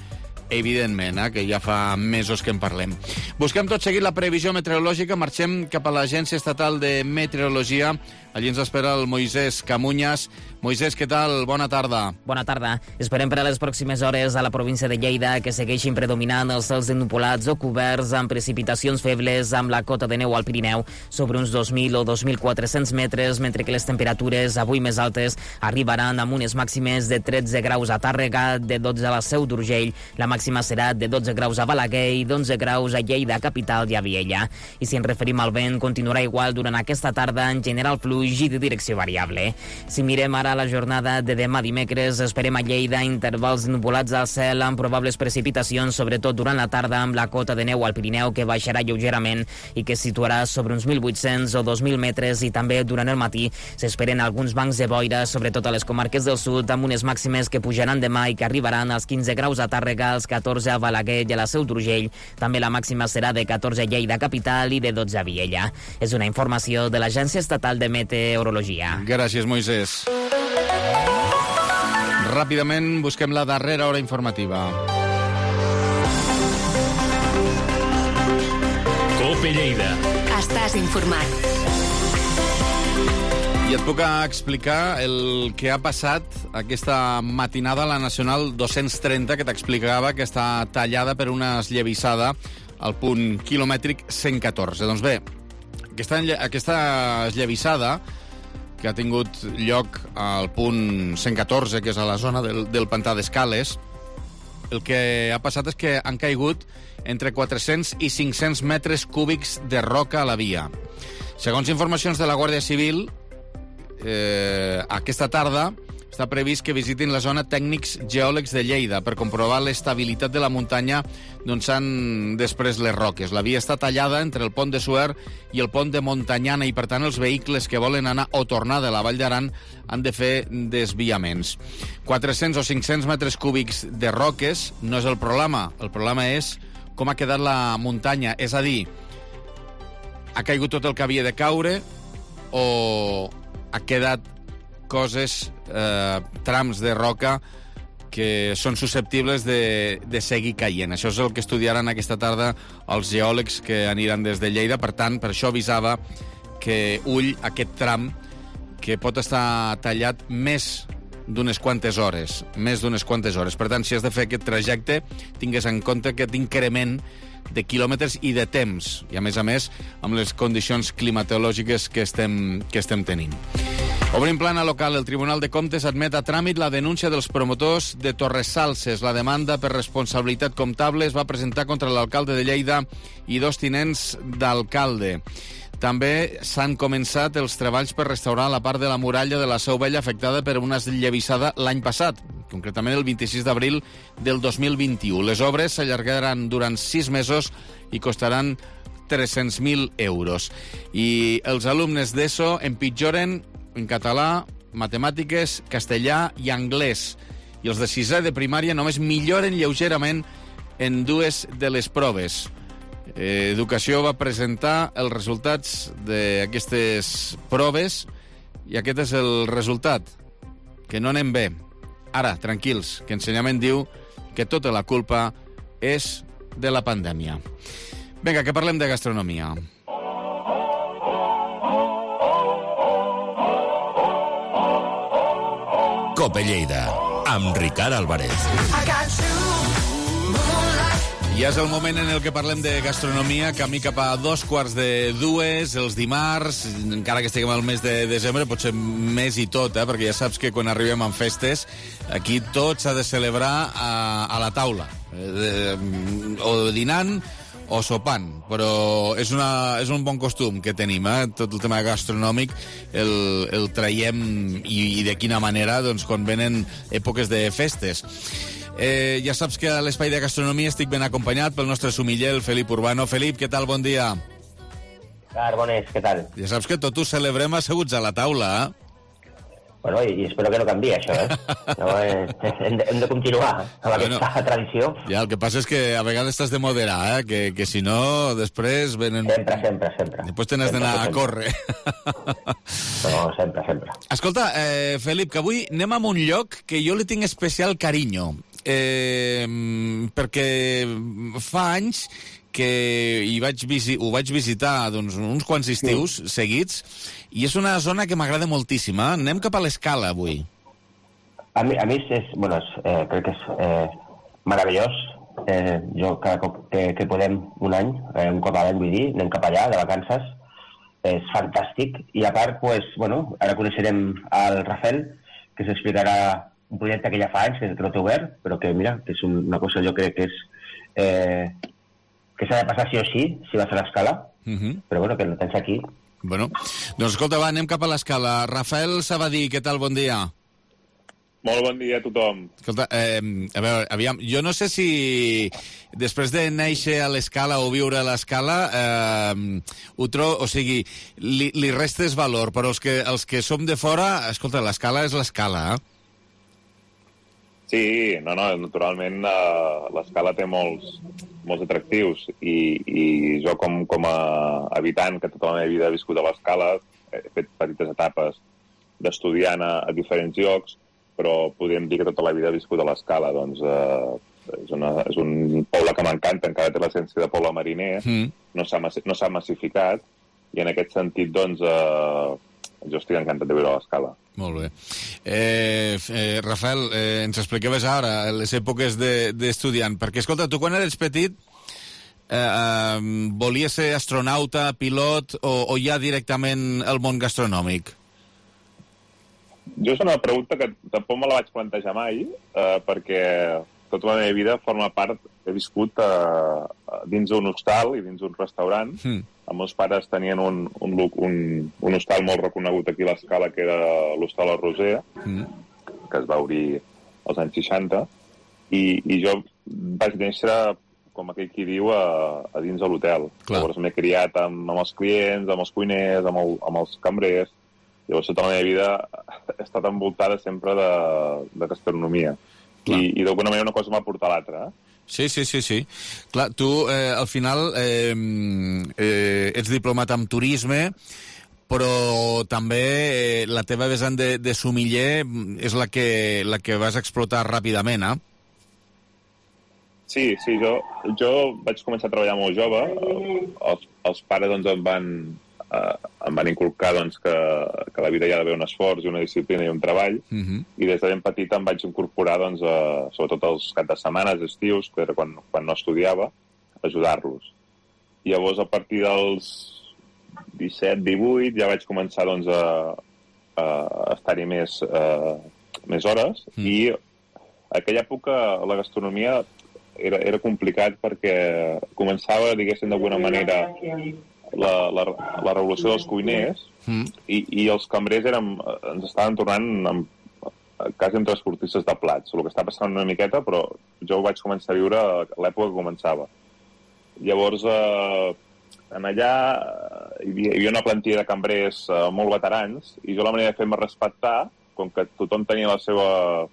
evidentment, eh, que ja fa mesos que en parlem. Busquem tot seguit la previsió meteorològica, marxem cap a l'Agència Estatal de Meteorologia. Allí ens espera el Moisés Camuñas. Moisés, què tal? Bona tarda. Bona tarda. Esperem per a les pròximes hores a la província de Lleida que segueixin predominant els cels ennupolats o coberts amb precipitacions febles amb la cota de neu al Pirineu sobre uns dos mil o dos mil quatre-cents metres, mentre que les temperatures avui més altes arribaran amb unes màximes de tretze graus a Tàrrega, de dotze a la Seu d'Urgell, la màxima serà de dotze graus a Balaguer i d'onze graus a Lleida, capital i a Viella. I si ens referim al vent, continuarà igual durant aquesta tarda, en general fluix i de direcció variable. Si mirem ara la jornada de demà dimecres, esperem a Lleida intervals nuvolats al cel amb probables precipitacions, sobretot durant la tarda amb la cota de neu al Pirineu que baixarà lleugerament i que situarà sobre uns mil vuit-cents o dos mil metres, i també durant el matí s'esperen alguns bancs de boira, sobretot a les comarques del sud, amb unes màximes que pujaran demà i que arribaran als quinze graus a Tàrrega, als catorze a Balaguer i a la Seu d'Urgell. També la màxima serà de catorze a Lleida capital i de dotze a Viella. És una informació de l'Agència Estatal de Meteorologia. Gràcies, Moisés. Ràpidament busquem la darrera hora informativa. Cope Lleida. Estàs informat. I et puc explicar el que ha passat aquesta matinada a la Nacional dos-cents trenta, que t'explicava que està tallada per una esllavissada al punt quilomètric cent catorze. Doncs bé, aquesta, aquesta esllavissada que ha tingut lloc al punt cent catorze, que és a la zona del, del pantà d'Escales, el que ha passat és que han caigut entre quatre-cents i cinc-cents metres cúbics de roca a la via. Segons informacions de la Guàrdia Civil, eh, aquesta tarda està previst que visitin la zona tècnics geòlegs de Lleida per comprovar l'estabilitat de la muntanya d'on s'han després les roques. La via està tallada entre el pont de Suert i el pont de Montanyana i, per tant, els vehicles que volen anar o tornar de la Vall d'Aran han de fer desviaments. quatre-cents o cinc-cents metres cúbics de roques no és el problema. El problema és com ha quedat la muntanya. És a dir, ha caigut tot el que havia de caure o ha quedat coses, eh, trams de roca que són susceptibles de, de seguir caient. Això és el que estudiaran aquesta tarda els geòlegs que aniran des de Lleida. Per tant, per això avisava que ull aquest tram que pot estar tallat més d'unes quantes hores, més d'unes quantes hores. Per tant, si has de fer aquest trajecte, tingues en compte aquest increment de quilòmetres i de temps, i a més a més amb les condicions climatològiques que estem, que estem tenint. Obrim plana local. El Tribunal de Comptes admet a tràmit la denúncia dels promotors de Torresalses. La demanda per responsabilitat comptable es va presentar contra l'alcalde de Lleida i dos tinents d'alcalde. També s'han començat els treballs per restaurar la part de la muralla de la Seu Vella afectada per una esllavissada l'any passat, concretament el vint-i-sis d'abril del dos mil vint-i-u. Les obres s'allargaran durant sis mesos i costaran tres-cents mil euros. I els alumnes d'ESO empitjoren en català, matemàtiques, castellà i anglès. I els de sisè de primària només milloren lleugerament en dues de les proves. Eh, Educació va presentar els resultats d'aquestes proves i aquest és el resultat, que no anem bé. Ara, tranquils, que Ensenyament diu que tota la culpa és de la pandèmia. Vinga, que parlem de gastronomia. Cope Lleida, amb Ricard Álvarez. I és el moment en el que parlem de gastronomia, camí cap a dos quarts de dues, els dimarts, encara que estiguem al mes de desembre, potser més i tot, eh? Perquè ja saps que quan arribem en festes, aquí tot s'ha de celebrar a, a la taula, eh, o dinant o sopant, però és, una, és un bon costum que tenim, eh? Tot el tema gastronòmic el, el traiem i, i de quina manera, doncs, quan venen èpoques de festes. Eh, ja saps que a l'espai de gastronomia estic ben acompanyat pel nostre sumiller, el Felip Urbano. Felip, què tal? Bon dia. Car, bones, què tal? Ja saps que tot ho celebrem asseguts a la taula, eh? Bueno, i espero que no canviï això, eh? No, eh hem, de, hem de continuar amb bueno, aquesta tradició. Ja, el que passa és que a vegades t'has de moderar, eh? Que, que si no, després venen... Sempre, sempre, sempre. Després te n'has d'anar a córrer. No, sempre, sempre. Escolta, eh, Felip, que avui anem a un lloc que jo li tinc especial carinyo. eh, perquè fa anys que hi vaig visi- ho vaig visitar doncs, uns quants estius sí. seguits, i és una zona que m'agrada moltíssim. Eh? Anem cap a l'Escala avui. A mi, a mi és, bueno, és, eh, crec que és eh, meravellós. Eh, jo cada cop que, que podem un any, eh, un cop a l'any vull dir, anem cap allà, de vacances, és fantàstic. I a part, pues, bueno, ara coneixerem el Rafael, que s'explicarà un projecte que ja fa anys, que no té obert, però que, mira, que és una cosa jo crec que és... Eh, que s'ha de passar sí o sí, si va a fer l'Escala, uh-huh. però bueno, que no tens aquí. Bueno, doncs escolta, va, anem cap a l'Escala. Rafael Sabadí, què tal? Bon dia. Molt bon dia a tothom. Escolta, eh, a veure, aviam, jo no sé si després de néixer a l'Escala o viure a l'Escala, eh, ho tro... o sigui, li, li restes valor, però els que, els que som de fora, escolta, l'Escala és l'Escala, eh? Sí, no, no, naturalment uh, l'Escala té molts, molts atractius i, i jo com, com a habitant que tota la meva vida he viscut a l'Escala, he fet petites etapes d'estudiant a, a diferents llocs, però podríem dir que tota la vida he viscut a l'Escala. Doncs uh, és, una, és un poble que m'encanta, encara té l'essència de poble mariner, mm. no s'ha no s'ha massificat, i en aquest sentit, doncs, uh, jo estic encantat de viure a l'Escala. Molt bé. Eh, eh, Rafael, eh, ens explicaves ara les èpoques d'estudiant, de, perquè, escolta, tu quan eres petit eh, eh, volies ser astronauta, pilot, o, o ja directament el món gastronòmic? Jo és una pregunta que tampoc me la vaig plantejar mai, eh, perquè tota la meva vida forma part, he viscut eh, dins d'un hostal i dins d'un restaurant. Mm. Els meus pares tenien un, un, un, un hostal molt reconegut aquí a l'Escala, que era l'Hostal El Roser, mm. que es va obrir als anys seixanta, i, i jo vaig néixer, com aquell qui diu, a, a dins de l'hotel. Llavors m'he criat amb, amb els clients, amb els cuiners, amb, el, amb els cambrers. Llavors tota la meva vida he estat envoltada sempre de, de gastronomia. I, i d'alguna manera una cosa m'ha portat a l'altra, eh? Sí, sí, sí, sí. Clar, tu eh, al final eh, eh, ets diplomat en turisme, però també eh, la teva vessant de, de sumiller és la que, la que vas explotar ràpidament, eh? Sí, sí, jo, jo vaig començar a treballar molt jove. Els, els pares doncs, em van, eh, em van inculcar doncs, que, que a la vida hi ha d'haver un esforç i una disciplina i un treball, uh-huh. i des de ben petit em vaig incorporar, doncs, a, sobretot els caps de setmanes, estius, que era quan, quan no estudiava, a ajudar-los. I llavors, a partir dels disset divuit, ja vaig començar doncs, a, a estar-hi més, uh, més hores, uh-huh. i a aquella època la gastronomia era, era complicat perquè començava, diguéssim, d'alguna manera La, la, la revolució dels cuiners, mm. i, i els cambrers érem, ens estaven tornant amb, quasi amb transportistes de plats. El que està passant una miqueta, però jo ho vaig començar a viure a l'època que començava. Llavors, eh, en allà hi havia, hi havia una plantilla de cambrers eh, molt veterans, i jo la manera de fer-me respectar, com que tothom tenia la seva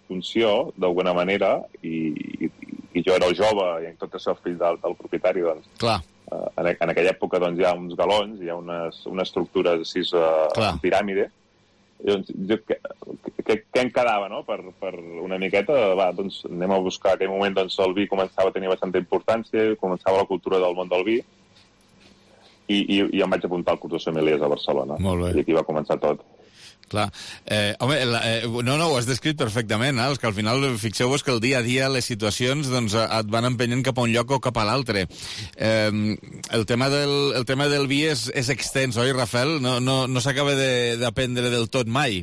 funció, d'alguna manera, i, i, i jo era el jove, i en tot el seu fill del, del propietari, doncs... Clar. Uh, en, en aquella època doncs, hi ha uns galons, hi ha unes, unes estructures així uh, en piràmide. I, doncs, jo, què, què, què em quedava, no?, per, per una miqueta? Va, doncs anem a buscar. En aquell moment doncs, el vi començava a tenir bastanta importància, començava la cultura del món del vi, i, i, i em vaig apuntar al curs de sommeliers a Barcelona. Molt bé. I aquí va començar tot. Clar. Eh, home, la, eh, no, no, ho has descrit perfectament, eh? Els que al final, fixeu-vos que el dia a dia les situacions doncs, et van empenyent cap a un lloc o cap a l'altre. Eh, el, tema del, el tema del vi és, és extens, oi, Rafael? No, no, no s'acaba d'aprendre de, del tot mai.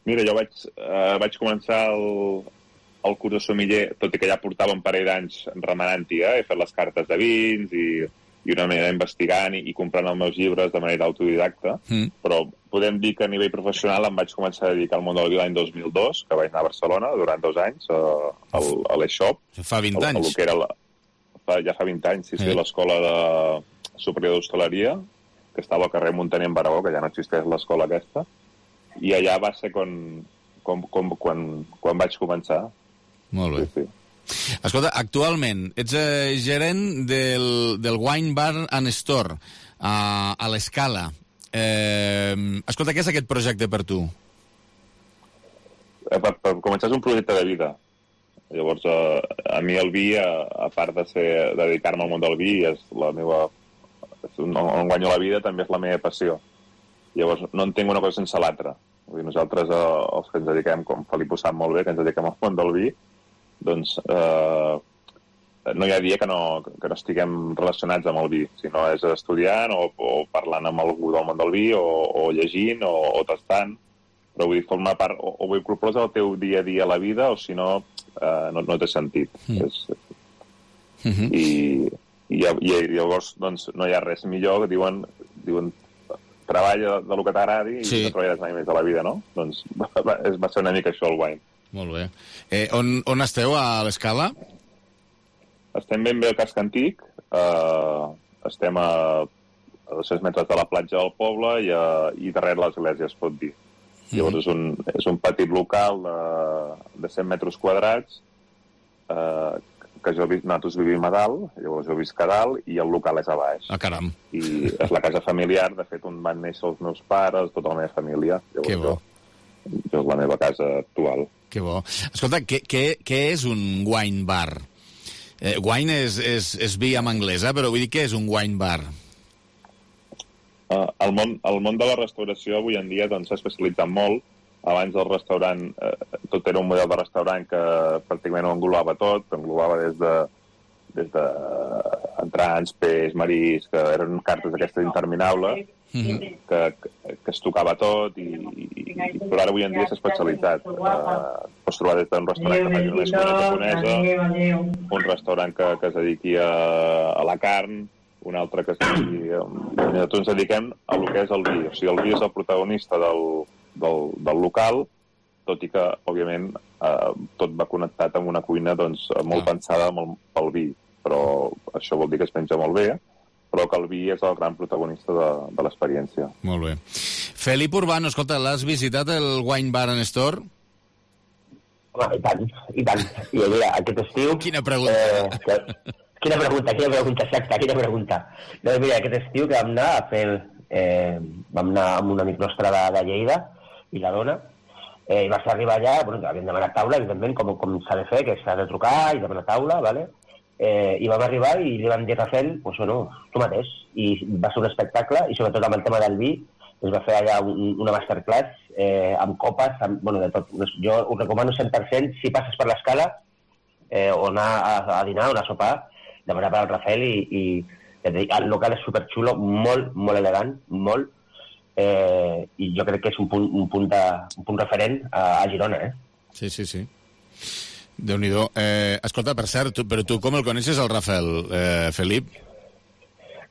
Mira, jo vaig, eh, vaig començar el, el curs de sommelier, tot i que ja portava un parell d'anys remenant-hi, eh? He fet les cartes de vins i... i una manera investigant i, i comprant els meus llibres de manera autodidacta, mm. però podem dir que a nivell professional em vaig començar a dedicar al món del vi l'any dos mil dos, que vaig anar a Barcelona durant dos anys a, a, a l'E-Shop. Fa vint anys? A, a que era la, fa, ja fa vint anys, sí, sí, eh. l'escola de superior d'hostaleria, que estava al carrer Muntaner en Baragó, que ja no existeix l'escola aquesta, i allà va ser quan, com, com, quan, quan vaig començar. Molt bé. Sí, sí. Escolta, actualment ets eh, gerent del, del Wine Bar and Store a, a l'Escala. Eh, escolta, què és aquest projecte per tu? Per, per començar és un projecte de vida. Llavors, eh, a mi el vi, a, a part de, ser, de dedicar-me al món del vi, és la meva, és on, on guanyo la vida, també és la meva passió. Llavors, no entenc una cosa sense l'altra. Vull dir, nosaltres, eh, els que ens dediquem, com Felip ho sap molt bé, que ens dediquem al món del vi, doncs eh, no hi ha dia que no, que no estiguem relacionats amb el vi, sinó és estudiant o, o parlant amb algú del món del vi, o, o llegint, o, o tastant, però vull dir, formar part, o, o ho incorpores al teu dia a dia a la vida, o si no, eh, no, no té sentit. Mm. És, mm-hmm. I, i, I llavors doncs, no hi ha res millor, que diuen, diuen treballa de, de lo que t'agradi i sí. No treballaràs mai més a la vida, no? Doncs va, va, va ser una mica això el Wine. Molt bé. Eh, on, on esteu a l'Escala? Estem ben bé al casc antic, eh, estem a, a dos-cents metres de la platja del poble i, a, i darrere l'església, es pot dir. Mm-hmm. Llavors és un, és un petit local de, de cent metres quadrats, eh, que jo, nosaltres vivim a dalt, llavors jo visc a dalt i el local és a baix. Ah, caram. I és la casa familiar, de fet, on van néixer els meus pares, tota la meva família. Llavors, que bo. Jo, jo és la meva casa actual. Que bo. Escolta, què, què, què és un wine bar? Eh, wine és, és, és vi en anglès, eh? Però vull dir, què és un wine bar? Uh, el, món, el món de la restauració avui en dia doncs, s'ha especialitzat molt. Abans el restaurant, eh, tot era un model de restaurant que pràcticament ho englobava tot, englobava des de, des de entrants, peix, marís, que eren cartes d'aquestes interminables, mm-hmm. que, que, que es tocava tot, i, i, i, però ara avui en dia s'ha especialitzat. Eh, pots trobar des d'un restaurant que faci una cuina japonesa, un restaurant que, que es dediqui a, a la carn, un altre que es dediqui... Nosaltres ens dediquem a lo que és el vi. O sigui, el vi és el protagonista del... Del, del local, tot i que, òbviament, eh, tot va connectat amb una cuina doncs, molt ah. pensada molt pel vi, però això vol dir que es menja molt bé, però que el vi és el gran protagonista de, de l'experiència. Molt bé. Felip Urbano, escolta, l'has visitat el Wine Bar and Store? Home, i tant, i tant. I allà, aquest estiu... Quina pregunta. Eh, que, quina pregunta, quina pregunta, exacta, quina pregunta. No, mira, aquest estiu que vam anar a fer... Eh, vam anar amb un amic nostre de, de Lleida, i la dona, eh, i vas arribar allà, bueno, havíem demanat taula, evidentment, com, com s'ha de fer, que s'ha de trucar i demanar taula, ¿vale? Eh, i vam arribar i li vam dir a Rafael, pues, bueno, tu mateix, i va ser un espectacle, i sobretot amb el tema del vi, es va fer allà un, una masterclass eh, amb copes, amb, bueno, de tot. Jo ho recomano cent per cent, si passes per l'Escala, eh, o anar a, a dinar o anar a sopar, demanar per al Rafael, i, i el local és superxulo, molt, molt elegant, molt, Eh, i jo crec que és un punt, un punt, de, un punt referent a, a Girona, eh? Sí, sí, sí. Déu-n'hi-do. Eh, escolta, per cert, tu, però tu com el coneixes, el Rafael, eh, Felip?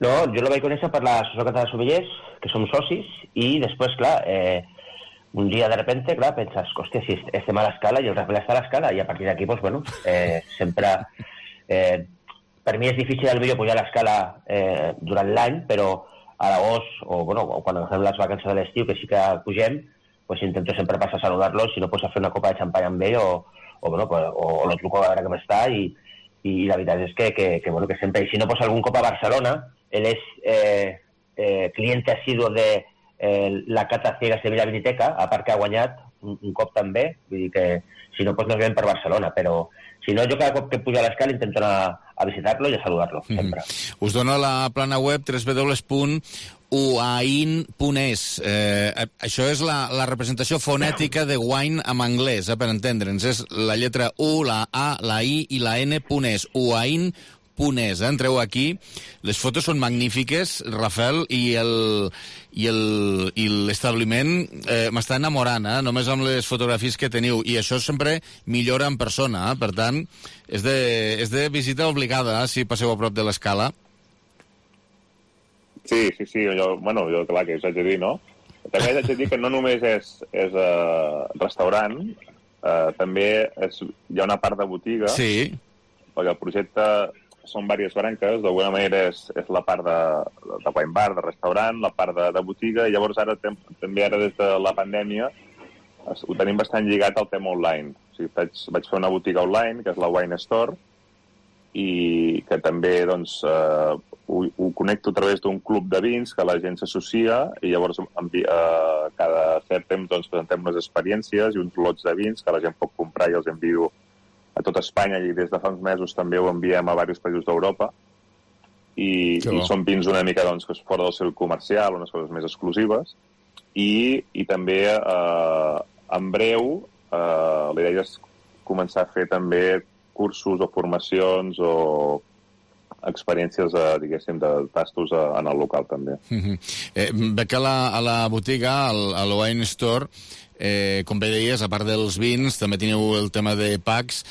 No, jo el vaig conèixer per l'Associació Catalana de Sommeliers, que som socis, i després, clar, eh, un dia de repente, clar, penses, hòstia, si estem a l'Escala i el Rafael està a l'Escala, i a partir d'aquí, doncs, bueno, eh, sempre... Eh, per mi és difícil el millor pujar a l'Escala eh, durant l'any, però a l'agost, o, bueno, o quan agafem les vacances de l'estiu, que sí que pugem, pues intento sempre passar a saludar-los, si no, pues a fer una copa de xampany amb ell, o, o, bueno, pues, o, o lo truco a veure com està, i, i la veritat és que, que, que, bueno, que sempre, i si no, pues algun cop a Barcelona, ell és eh, eh, cliente assiduo de eh, la Cata Ciega Sevilla Viniteca, a part que ha guanyat un, un cop també, vull dir que si no, pues nos ven per Barcelona, però si no, jo cada cop que pujo a l'Escala intento anar a visitar-lo i a saludar-lo, sempre. Mm-hmm. Us dono la plana web w w w punt uain punt es. Eh, això és la, la representació fonètica de wine en anglès, eh, per entendre'ns. És la lletra U, la A, la I i la N punt es. uain punt es. Eh? Entreu aquí. Les fotos són magnífiques, Rafael, i el i el i l'establiment eh, m'està enamorant, eh? Només amb les fotografies que teniu. I això sempre millora en persona, eh? Per tant, és de, és de visita obligada, eh? Si passeu a prop de l'Escala. Sí, sí, sí. Jo, bueno, jo, clar, que us haig de dir, no? També haig de dir que no només és, és uh, restaurant, uh, també és, hi ha una part de botiga. Sí. Perquè el projecte són diverses branques, d'alguna manera és, és la part de, de wine bar, de restaurant, la part de, de botiga, i llavors ara tem, també ara des de la pandèmia ho tenim bastant lligat al tema online. O sigui, vaig, vaig fer una botiga online, que és la Wine Store, i que també doncs, eh, ho, ho connecto a través d'un club de vins que la gent s'associa, i llavors envi, eh, cada cert temps doncs, presentem unes experiències i uns lots de vins que la gent pot comprar i els envio a a tot Espanya i des de fa uns mesos també ho enviem a diversos països d'Europa i, i són vins una mica doncs, que és fora del circuit comercial, unes coses més exclusives i, i també eh, en breu eh, la idea és començar a fer també cursos o formacions o experiències, eh, diguéssim, de tastos eh, en el local, també. Mm-hmm. eh, veig que a la, a la botiga, al, al Wine Store, eh, com bé deies, a part dels vins, també teniu el tema de packs,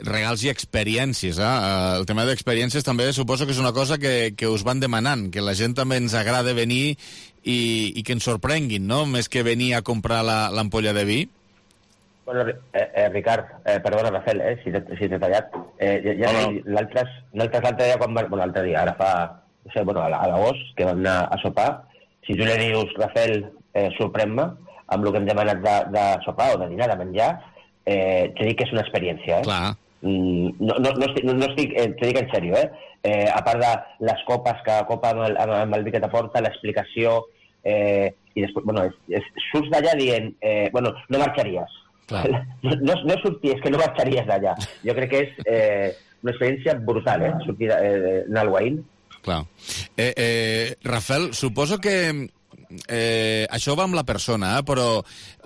regals i experiències. Eh? El tema d'experiències també suposo que és una cosa que, que us van demanant, que la gent també ens agrada venir i, i que ens sorprenguin, no? Més que venir a comprar l'ampolla de vi. Bueno, eh, eh, Ricard, eh, perdona, Rafael, eh, si t'he si tallat. Eh, ja, ja no, no. L'altre l'altre dia, quan va, bueno, l'altre dia, ara fa, no sé, bueno, a l'agost, que vam anar a sopar, si tu li dius, Rafael, eh, sorprèn-me, amb el que hem demanat de, de sopar o de dinar, de menjar, eh, t'he dit que és una experiència, eh? Clar. Mm, no, no, no estic, no, no estic eh, t'ho dic en sèrio, eh? eh? A part de les copes, cada copa amb el, amb el vi que t'aporta, l'explicació, eh, i després, bueno, és, és, surts d'allà dient, eh, bueno, no marxaries. No, no, no sorties, que no marxaries d'allà. Jo crec que és eh, una experiència brutal, eh? Sortir eh, anar al Wine. Clar. Eh, eh, Rafael, suposo que eh, això va amb la persona, eh? Però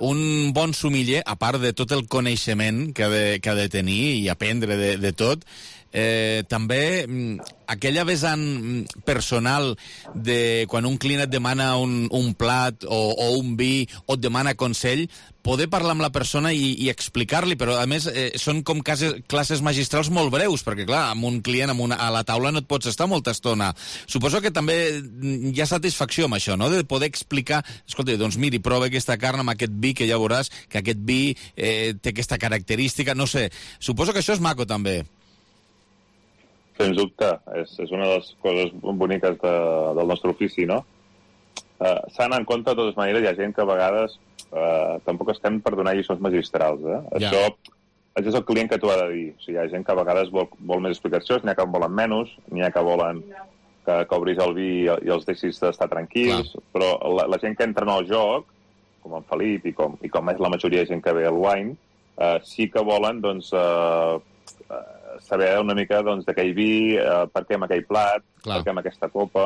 un bon sommelier, a part de tot el coneixement que ha de, que ha de tenir i aprendre de, de tot, Eh, també aquella vessant personal de quan un client et demana un, un plat o, o un vi o et demana consell, poder parlar amb la persona i, i explicar-li, però a més eh, són com classes, classes magistrals molt breus, perquè clar, amb un client amb una, a la taula no et pots estar molta estona. Suposo que també hi ha satisfacció amb això, no?, de poder explicar, escolta, doncs miri, prova aquesta carn amb aquest vi que ja veuràs que aquest vi eh, té aquesta característica, no sé. Suposo que això és maco també. Sens dubte, és, és una de les coses boniques de, del nostre ofici, no? Uh, S'han en compte, de totes maneres, hi ha gent que a vegades uh, tampoc estem per donar lliçons magistrals, eh? Ja. Això, això és el client que t'ho ha de dir. O sigui, hi ha gent que a vegades vol, vol més explicacions, n'hi ha que en volen menys, n'hi ha que volen que, que obris el vi i, i els deixis d'estar tranquils, clar. Però la, la gent que entra en el joc, com en Felip i com, i com és la majoria de gent que ve al Wine, uh, sí que volen, doncs, uh, uh, saber una mica doncs, d'aquell vi, eh, per què amb aquell plat, clar. Per què amb aquesta copa,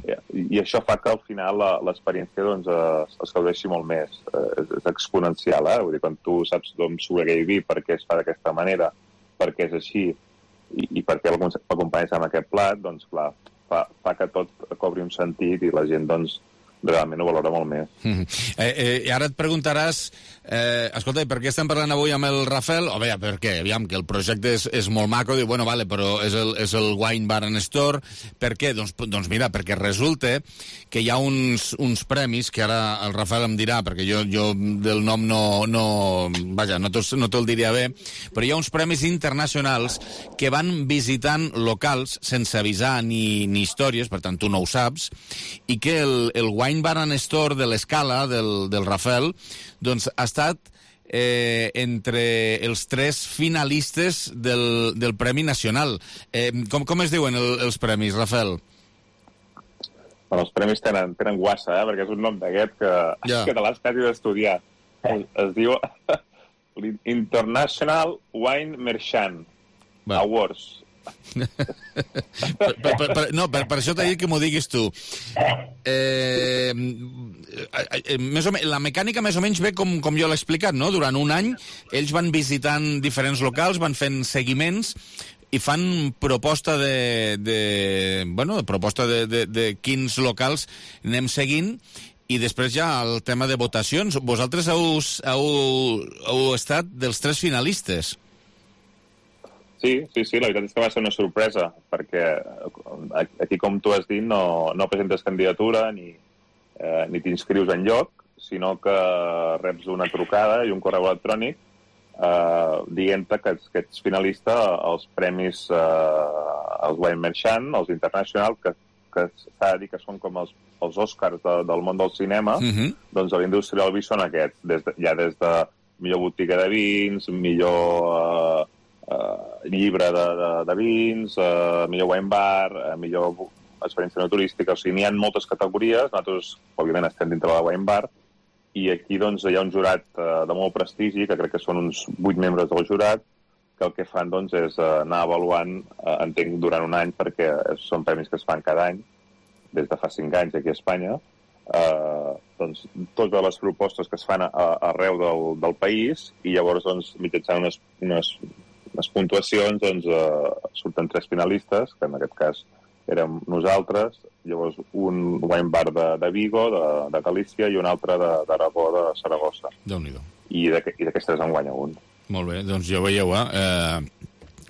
I, i això fa que al final l'experiència doncs, es, es gaudeixi molt més. Eh, és, és exponencial, eh? Vull dir, quan tu saps d'on surt aquell vi, per què es fa d'aquesta manera, per què és així, i, i per què l'acompanyes amb aquest plat, doncs clar, fa, fa que tot cobri un sentit i la gent doncs, realment ho valora molt més. Mm-hmm. eh, eh, I ara et preguntaràs, eh, escolta, per què estem parlant avui amb el Rafael? O bé, per què? Aviam, que el projecte és, és molt maco, diu, bueno, vale, però és el, és el Wine Bar and Store. Per què? Doncs, doncs mira, perquè resulta que hi ha uns, uns premis, que ara el Rafael em dirà, perquè jo, jo del nom no, no, vaja, no te'l no te diria bé, però hi ha uns premis internacionals que van visitant locals sense avisar ni, ni històries, per tant, tu no ho saps, i que el, el Wine Wine Bar and Store de l'Escala, del, del Rafael, doncs ha estat eh, entre els tres finalistes del, del Premi Nacional. Eh, com, com es diuen el, els premis, Rafael? Bueno, els premis tenen, tenen guassa, eh? Perquè és un nom d'aquest que, yeah. que te l'has quasi d'estudiar. Es, es diu International Wine Merchant Va. Awards. per, per, per, no, per, per això t'he dit que m'ho diguis tu. Eh, eh, més o menys, la mecànica més o menys ve com, com jo l'he explicat, no? Durant un any ells van visitant diferents locals, van fent seguiments i fan proposta de, de bueno, proposta de, de, de quins locals anem seguint. I després ja el tema de votacions. Vosaltres heu, heu, heu estat dels tres finalistes. Sí, sí, sí, la veritat és que va ser una sorpresa, perquè aquí, com tu has dit, no, no presentes candidatura ni, eh, ni t'inscrius en lloc, sinó que reps una trucada i un correu electrònic eh, dient-te que, que ets finalista als premis, eh, als Wine Merchant, als International, que, que s'ha de dir que són com els, els Oscars de, del món del cinema, mm-hmm. doncs a la indústria del vi són aquests, des de, ja des de millor botiga de vins, millor... Eh, Uh, llibre de, de, de vins, uh, millor wine bar, uh, millor experiència no turística, o sigui, n'hi ha moltes categories, nosaltres, òbviament, estem dintre de la wine bar, i aquí, doncs, hi ha un jurat uh, de molt prestigi, que crec que són uns vuit membres del jurat, que el que fan doncs, és uh, anar avaluant, uh, entenc, durant un any, perquè són premis que es fan cada any, des de fa cinc anys aquí a Espanya, uh, doncs, totes les propostes que es fan a, a, arreu del, del país, i llavors, doncs, mitjançant unes, unes, unes puntuacions, doncs, uh, surten tres finalistes, que en aquest cas érem nosaltres, llavors un wine bar de, de Vigo, de, de Galícia, i un altre d'Aragó, de, de Saragossa. Déu-n'hi-do. I d'aquests tres en guanya un. Molt bé, doncs ja ho veieu, eh?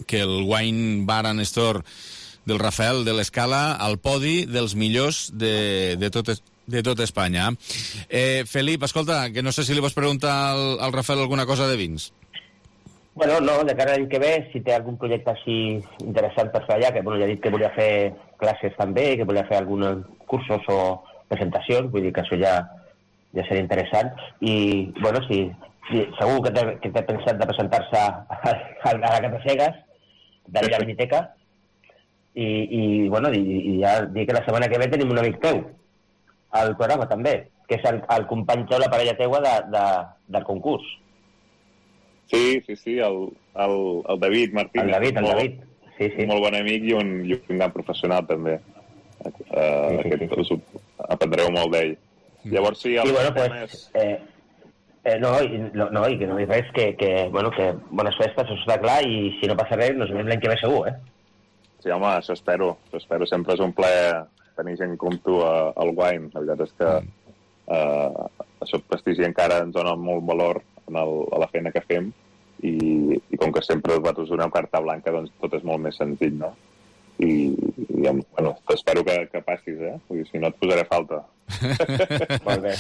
que el Wine Bar and Store del Rafael de l'Escala al podi dels millors de, de, tot, de tot Espanya. Eh, Felip, escolta, que no sé si li vols preguntar al, al Rafael alguna cosa de vins. Bueno, no, de cara a l'any que ve, si té algun projecte així interessant per fer allà, que bueno, ja he dit que volia fer classes també, que volia fer alguns cursos o presentacions, vull dir que això ja, ja seria interessant. I, bueno, si, si segur que té, que té pensat de presentar-se a, a, a la Catasegas, d'allà a la Miniteca, i, i, bueno, i, i ja dic que la setmana que ve tenim un amic teu al programa també, que és el, el company teu, la parella teua de, de, del concurs. Sí, sí, sí, el, el, el David Martínez. El David, el molt, David. Sí, sí. Un molt bon amic i un, i un gran professional, també. Uh, sí, sí, aquest, sí. Aprendreu molt d'ell. Llavors, sí, el sí, bueno, tema pues, és... Eh, eh, no, i, no, no, i que no hi res, que, que, bueno, que bones festes, això està clar, i si no passa res, nos veiem l'any que ve segur, eh? Sí, home, això espero. Això espero. Sempre és un plaer tenir gent com tu a, al Wine. La veritat és que uh, això prestigi encara ens dona molt valor en el, a la feina que fem, i, i com que sempre vosaltres doneu carta blanca, doncs tot és molt més senzill, no? I, i bueno, t'espero que, que passis, eh? Vull dir, si no et posaré falta. Molt bé.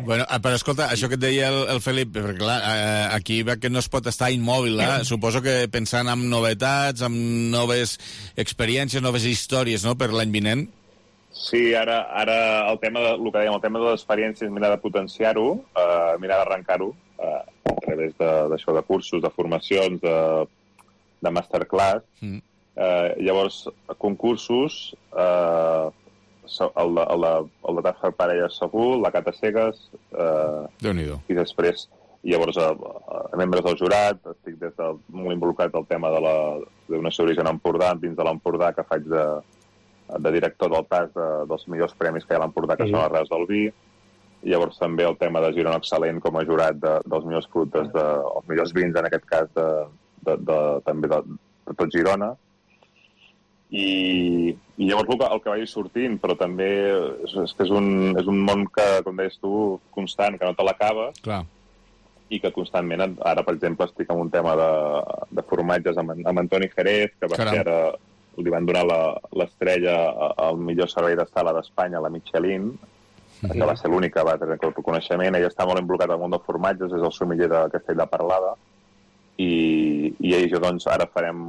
Bueno, però escolta, això que et deia el, el Felip, perquè clar, eh, aquí veig que no es pot estar immòbil, eh? Suposo que pensant en novetats, en noves experiències, noves històries, no?, per l'any vinent. Sí, ara, ara el tema de, el que dèiem, el tema de les experiències, mirar de potenciar-ho, eh, mirar d'arrencar-ho eh, a través d'això, de, de cursos, de formacions, de, de masterclass. Mm. Eh, llavors, concursos, eh, el de, el de, el de Taffer Parelles segur, la Catasegas, eh, Déu-n'hi-do. I després, llavors, a, a membres del jurat, estic des del, molt involucrat al tema de la d'una d'origen Empordà, dins de l'Empordà, que faig de de director del T A S de, dels millors premis que hi ha a l'Empordà, que sí. Són les Reus del Vi. I llavors també el tema de Girona Excel·lent com a jurat de, dels millors productes, de, els millors vins, en aquest cas, de, de, de, també de, de tot Girona. I, i llavors el que, el que vagi sortint, però també és, és que és un, és un món que, com deies tu, constant, que no te l'acabes. Clar. I que constantment, ara, per exemple, estic en un tema de, de formatges amb, amb Antoni Jerez, que va Caram. ser ara... li van donar l'estrella al millor servei de sala d'Espanya, la Michelin, mm-hmm. que va ser l'única que va tenir el reconeixement. Ell està molt involucrat al món dels formatges, és el sommelier de Castell de Parlada, i, i ell i jo, doncs, ara farem,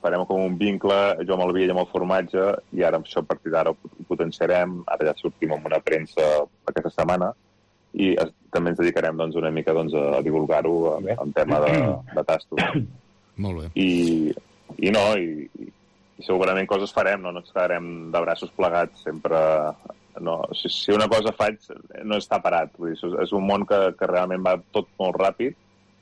farem com un vincle, jo amb el vi i amb el formatge, i ara això a partir d'ara ho potenciarem. Ara ja sortim amb una premsa aquesta setmana, i es, també ens dedicarem doncs, una mica doncs, a divulgar-ho en, en tema de, de tastos. Molt bé. I... I no, i, i segurament coses farem, no, no ens quedarem de braços plegats sempre. No, si, si una cosa faig, no està parat. Vull dir, és un món que, que realment va tot molt ràpid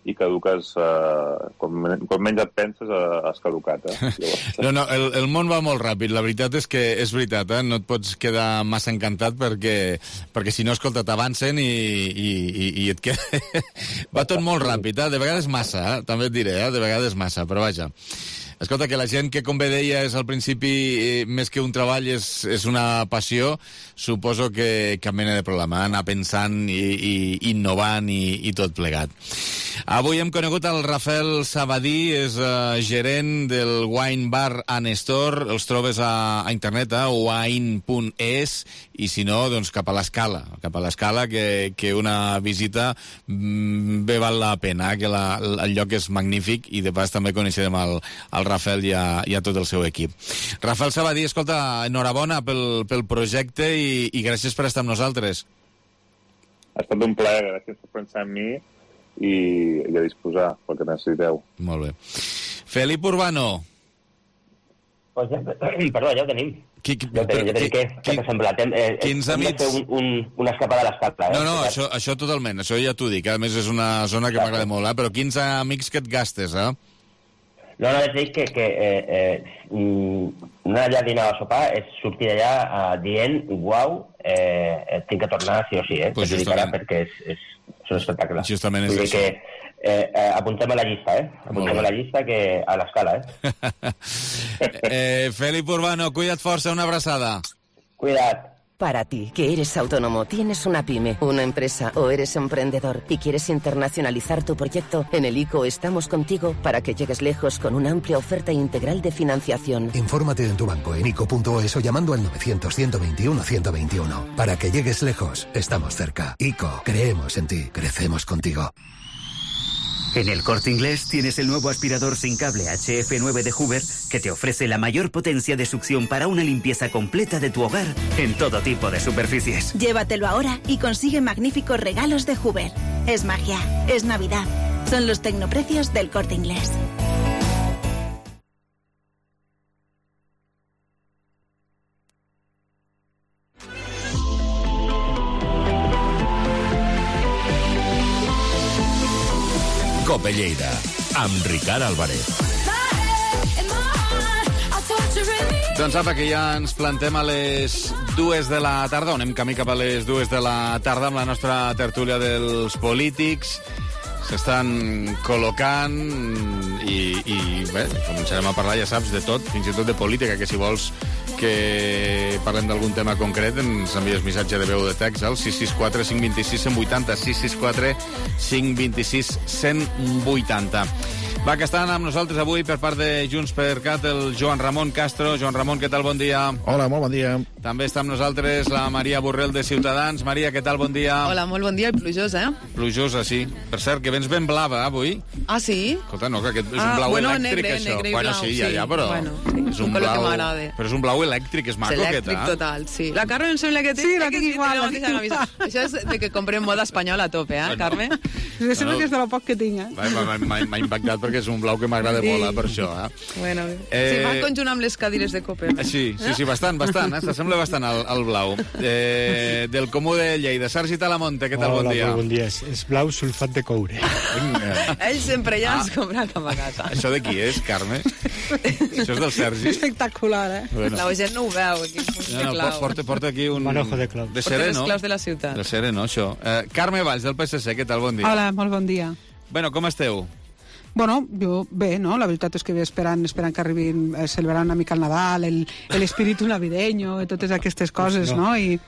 i caduques, eh, quan, quan menys et penses, eh, has caducat. Eh? Llavors... No, no, el, el món va molt ràpid. La veritat és que és veritat, eh? No et pots quedar massa encantat perquè, perquè si no, escolta, t'avancen i, i, i, i et queda... va tot molt ràpid, eh? De vegades massa, eh? També et diré, eh? De vegades massa, però vaja. Escolta, que la gent que, com bé deies al principi, eh, més que un treball és, és una passió, suposo que cap mena de problema, anar pensant i, i innovant i, i tot plegat. Avui hem conegut el Rafael Sabadí, és uh, gerent del Wine Bar and Store, els trobes a, a internet, a wine punt es, i si no, doncs cap a l'Escala, cap a l'Escala, que, que una visita mm, bé val la pena, que la, el lloc és magnífic, i de pas també coneixerem el, el Rafael i a, i a tot el seu equip. Rafael Sabadí, escolta, enhorabona pel, pel projecte i, i gràcies per estar amb nosaltres. Ha estat un plaer, gràcies per pensar en mi i, i a disposar pel que necessiteu. Molt bé. Felip Urbano. Pues ja, perdó, ja ho tenim. Qui, qui, ja ho tenim, ja tenim. Què, què t'ha semblat? Eh, eh, quins amics... Un, un, una escapada a l'Escala, eh? No, no, això, això totalment, això ja t'ho dic, a més és una zona que m'agrada molt, eh? Però quins amics que et gastes, eh? No, no, decideix que, que eh, eh, anar allà a dinar o a sopar és sortir d'allà eh, dient, uau, eh, tinc que tornar sí o sí, eh? Pues justament. Perquè és, és, és un espectacle. Justament és Vull dir això. que eh, eh, apuntem a la llista, eh? Apuntem a la llista que a l'escala, eh? eh Felip Urbano, cuida't força, una abraçada. Cuida't. Para ti, que eres autónomo, tienes una pyme, una empresa o eres emprendedor y quieres internacionalizar tu proyecto, en el I C O estamos contigo para que llegues lejos con una amplia oferta integral de financiación. Infórmate en tu banco en ico punto es o llamando al novecientos, ciento veintiuno, ciento veintiuno. Para que llegues lejos, estamos cerca. I C O, creemos en ti, crecemos contigo. En el Corte Inglés tienes el nuevo aspirador sin cable H F nueve de Hoover que te ofrece la mayor potencia de succión para una limpieza completa de tu hogar en todo tipo de superficies. Llévatelo ahora y consigue magníficos regalos de Hoover. Es magia, es Navidad. Son los tecnoprecios del Corte Inglés. Cope Lleida, amb Ricard Álvarez. Doncs apa, que ja ens plantem a les dues de la tarda, on anem camí cap a les dues de la tarda amb la nostra tertúlia dels polítics. S'estan col·locant i, i bé, començarem a parlar, ja saps, de tot, fins i tot de política, que si vols que parlem d'algun tema concret ens envies missatge de veu de text al sis sis quatre, cinc dos sis, cent vuitanta, sis sis quatre, cinc dos sis, cent vuitanta. Va, que estan amb nosaltres avui per part de Junts per Cat el Joan Ramon Castro. Joan Ramon, què tal? Bon dia. Hola, molt bon dia. També està amb nosaltres la Maria Borrell de Ciutadans. Maria, què tal? Bon dia. Hola, molt bon dia i plujós, eh? Plujosa, sí. Per cert, que vens ben blava, avui. Ah, sí? Escolta, no, que aquest és Ah, un blau bueno, elèctric, negre, això. negre i Bueno, blau, sí, ja, sí. ja, però... Bueno, sí, és un un color que blau... m'agrada. Però és un blau elèctric, és maco, és aquest, elèctric eh? total, sí. La Carme em sembla que té... Sí, la que tinc igual, té la mateixa tinc camisa. Això és de que comprem moda espanyola a tope, eh, Carme? Jo sembla que és de lo poc que tinc, eh? Va, va, M'ha m'ha impactat perquè és un blau que m'agrada Sí. molt, eh, per això, eh? Bueno, Eh, sí, va conjunt amb les cadires de cope. Sí, sí, sí, bastant, bastant, eh? S'assembla bastant al, al blau. Eh, del Comú de Lleida. Sergi Talamonte, què tal? Hola, Bon dia. molt bon dia. És, és blau sulfat de coure. Ell sempre ja Ah. ens compra cap a casa. Això de qui és, Carme? Això és del Sergi? Espectacular, eh? Bueno. La gent no ho veu, aquí, un No, no, clau. porta, porta aquí un... Manojo de clau. De Porta les sereno. claus de la ciutat. De sereno, això. Eh, Carme Valls, del P S C, què tal? Bon dia. Hola, molt bon dia. Bueno, com esteu? Bueno, jo bé, no? La veritat és que ve esperant, esperant que arribin, eh, celebrar una mica el Nadal, el, el espíritu navideño i totes aquestes coses, no? I,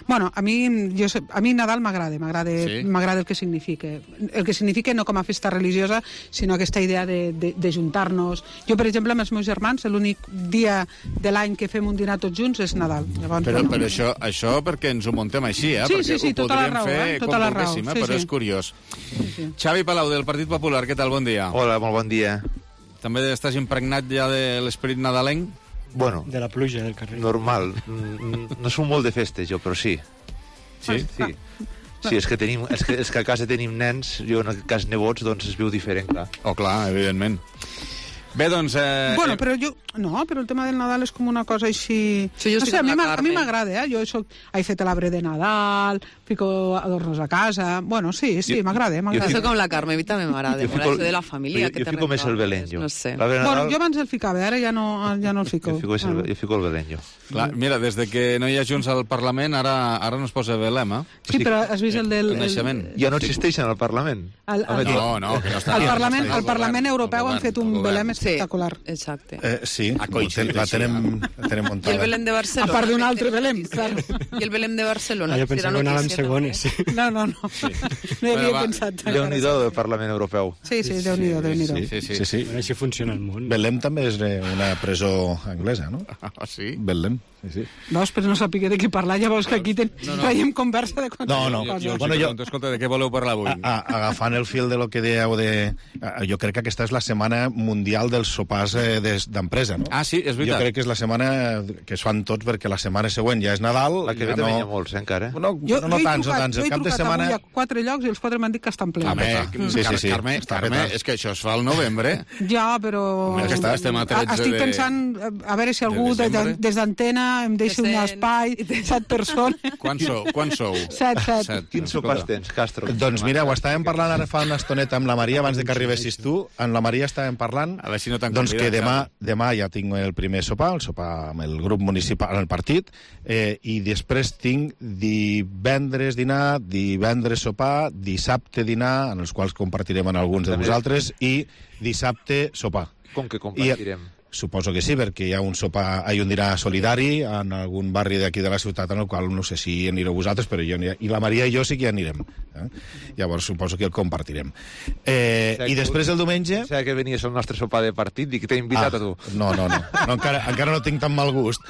bueno, a mi, jo, sé- a mi Nadal m'agrada, m'agrada Sí? m'agrada el que significa. El que significa no com a festa religiosa, sinó aquesta idea de, de, de juntar-nos. Jo, per exemple, amb els meus germans, l'únic dia de l'any que fem un dinar tots junts és Nadal. Llavors, Però, bueno, però això, això perquè ens ho muntem així, eh? Sí, perquè sí, sí, ho tota la podríem raó, fer eh? Tota com la raó, volguéssim, eh? sí, però sí. és curiós. sí, sí. Xavi Palau, del Partit Popular, què tal? Bon dia. Hola, molt bon dia. També estàs impregnat ja de l'esperit nadalenc? Bueno, De la pluja del carrer. normal. Mm, No som molt de festes, jo, però sí. Sí? Sí. Sí, és que, tenim, és que, és que a casa tenim nens, jo en aquest cas nebots, doncs es viu diferent, clar. Oh, clar, evidentment. Bé, doncs... Eh, Bueno, però jo... No, però el tema del Nadal és com una cosa així... Sí, jo no estic sé, a amb mi la m'a- a mi Carme. m'agrada, eh? Jo soc... He fet l'arbre de Nadal, fico adornos a casa... Bueno, sí, sí, Jo- m'agrada, m'agrada. Això com la Carme, a mi també m'agrada. Jo Molt fico- això de la família, jo- que jo te fico més el retrobes, Belén, jo. No sé. L'arbre de Bueno, Nadal, jo abans el ficava, ara ja no, ja no el fico. jo fico, el, jo fico el Belén, jo. Clar, mira, des de que no hi ha Junts al Parlament, ara ara no es posa Belém, eh? Sí, però has vist el del... El naixement. Ja no existeixen al Parlament. El, el, el, No, no, que no està... al no Parlament, està al Parlament Europeu han fet un Belém Sí, espectacular. exacte. Eh, sí, Ha coincidit la així, tenem, la tenem I el muntada. Belém de A Barcelona. part d'un altre Belém, clar. I el Belém de Barcelona. Ah, jo si era pensava que anàvem notícia, segones. Sí. No, no, no. No hi havia Bueno, va, pensat. Déu-n'hi-do del Parlament Europeu. Sí, sí, Déu-n'hi-do, Déu-n'hi-do. Sí, sí, sí. Sí, sí. Bueno, així funciona el món. Belém també és eh, una presó anglesa, no? Ah, sí? Belém, sí, sí. Veus, però no sàpiga de què parlar, ja veus que aquí ten... No, no. traiem conversa de quantes No, no, Jo, coses. jo, Bueno, bueno, jo- pregunto, escolta, de què voleu parlar avui? A, a, agafant el fil de lo que dèieu de... a- Jo crec que aquesta és la setmana mundial dels sopars eh, des- d'empresa, no? Ah, sí, és Jo veritat. crec que és la setmana que es fan tots perquè la setmana següent ja és Nadal. La que ve ja també no... n'hi ha molts, eh, encara. No, Jo, no, no jo he tants, no trucat, tants. jo El he cap de trucat setmana... avui a quatre llocs i els quatre m'han dit que estan plens. Home, Sí, sí, sí. Carme, Està Carme, petat. és que això es fa al novembre. Ja, però... Home, que està- estem a tretze Estic de- pensant, a veure si algú de de, de, desembre. des d'antena em deixa Que un sent- espai, set persones. Quan sou? Quan sou? Set, set. Quins sopars tens, Castro? Doncs mira, ho estàvem parlant ara fa una estoneta amb la Maria abans de que arribessis tu. Amb la Maria estàvem parlant A veure si no t'han Doncs que convidat, demà, clar. demà ja tinc el primer sopar, el sopar amb el grup municipal, el partit, eh, i després tinc divendres dinar, divendres sopar, dissabte dinar, en els quals compartirem amb alguns de vosaltres, i dissabte sopar. Com que compartirem? I, suposo que sí, perquè hi ha un sopar, hi ha un dinar solidari en algun barri d'aquí de la ciutat, en el qual no sé si anireu vosaltres, però jo aniré, i la Maria i jo sí que hi anirem. Eh? Llavors suposo que el compartirem. Eh, I després el diumenge... O sigui que venies al nostre sopar de partit i que t'he invitat ah, a tu. No, no, no. no encara, encara no tinc tan mal gust.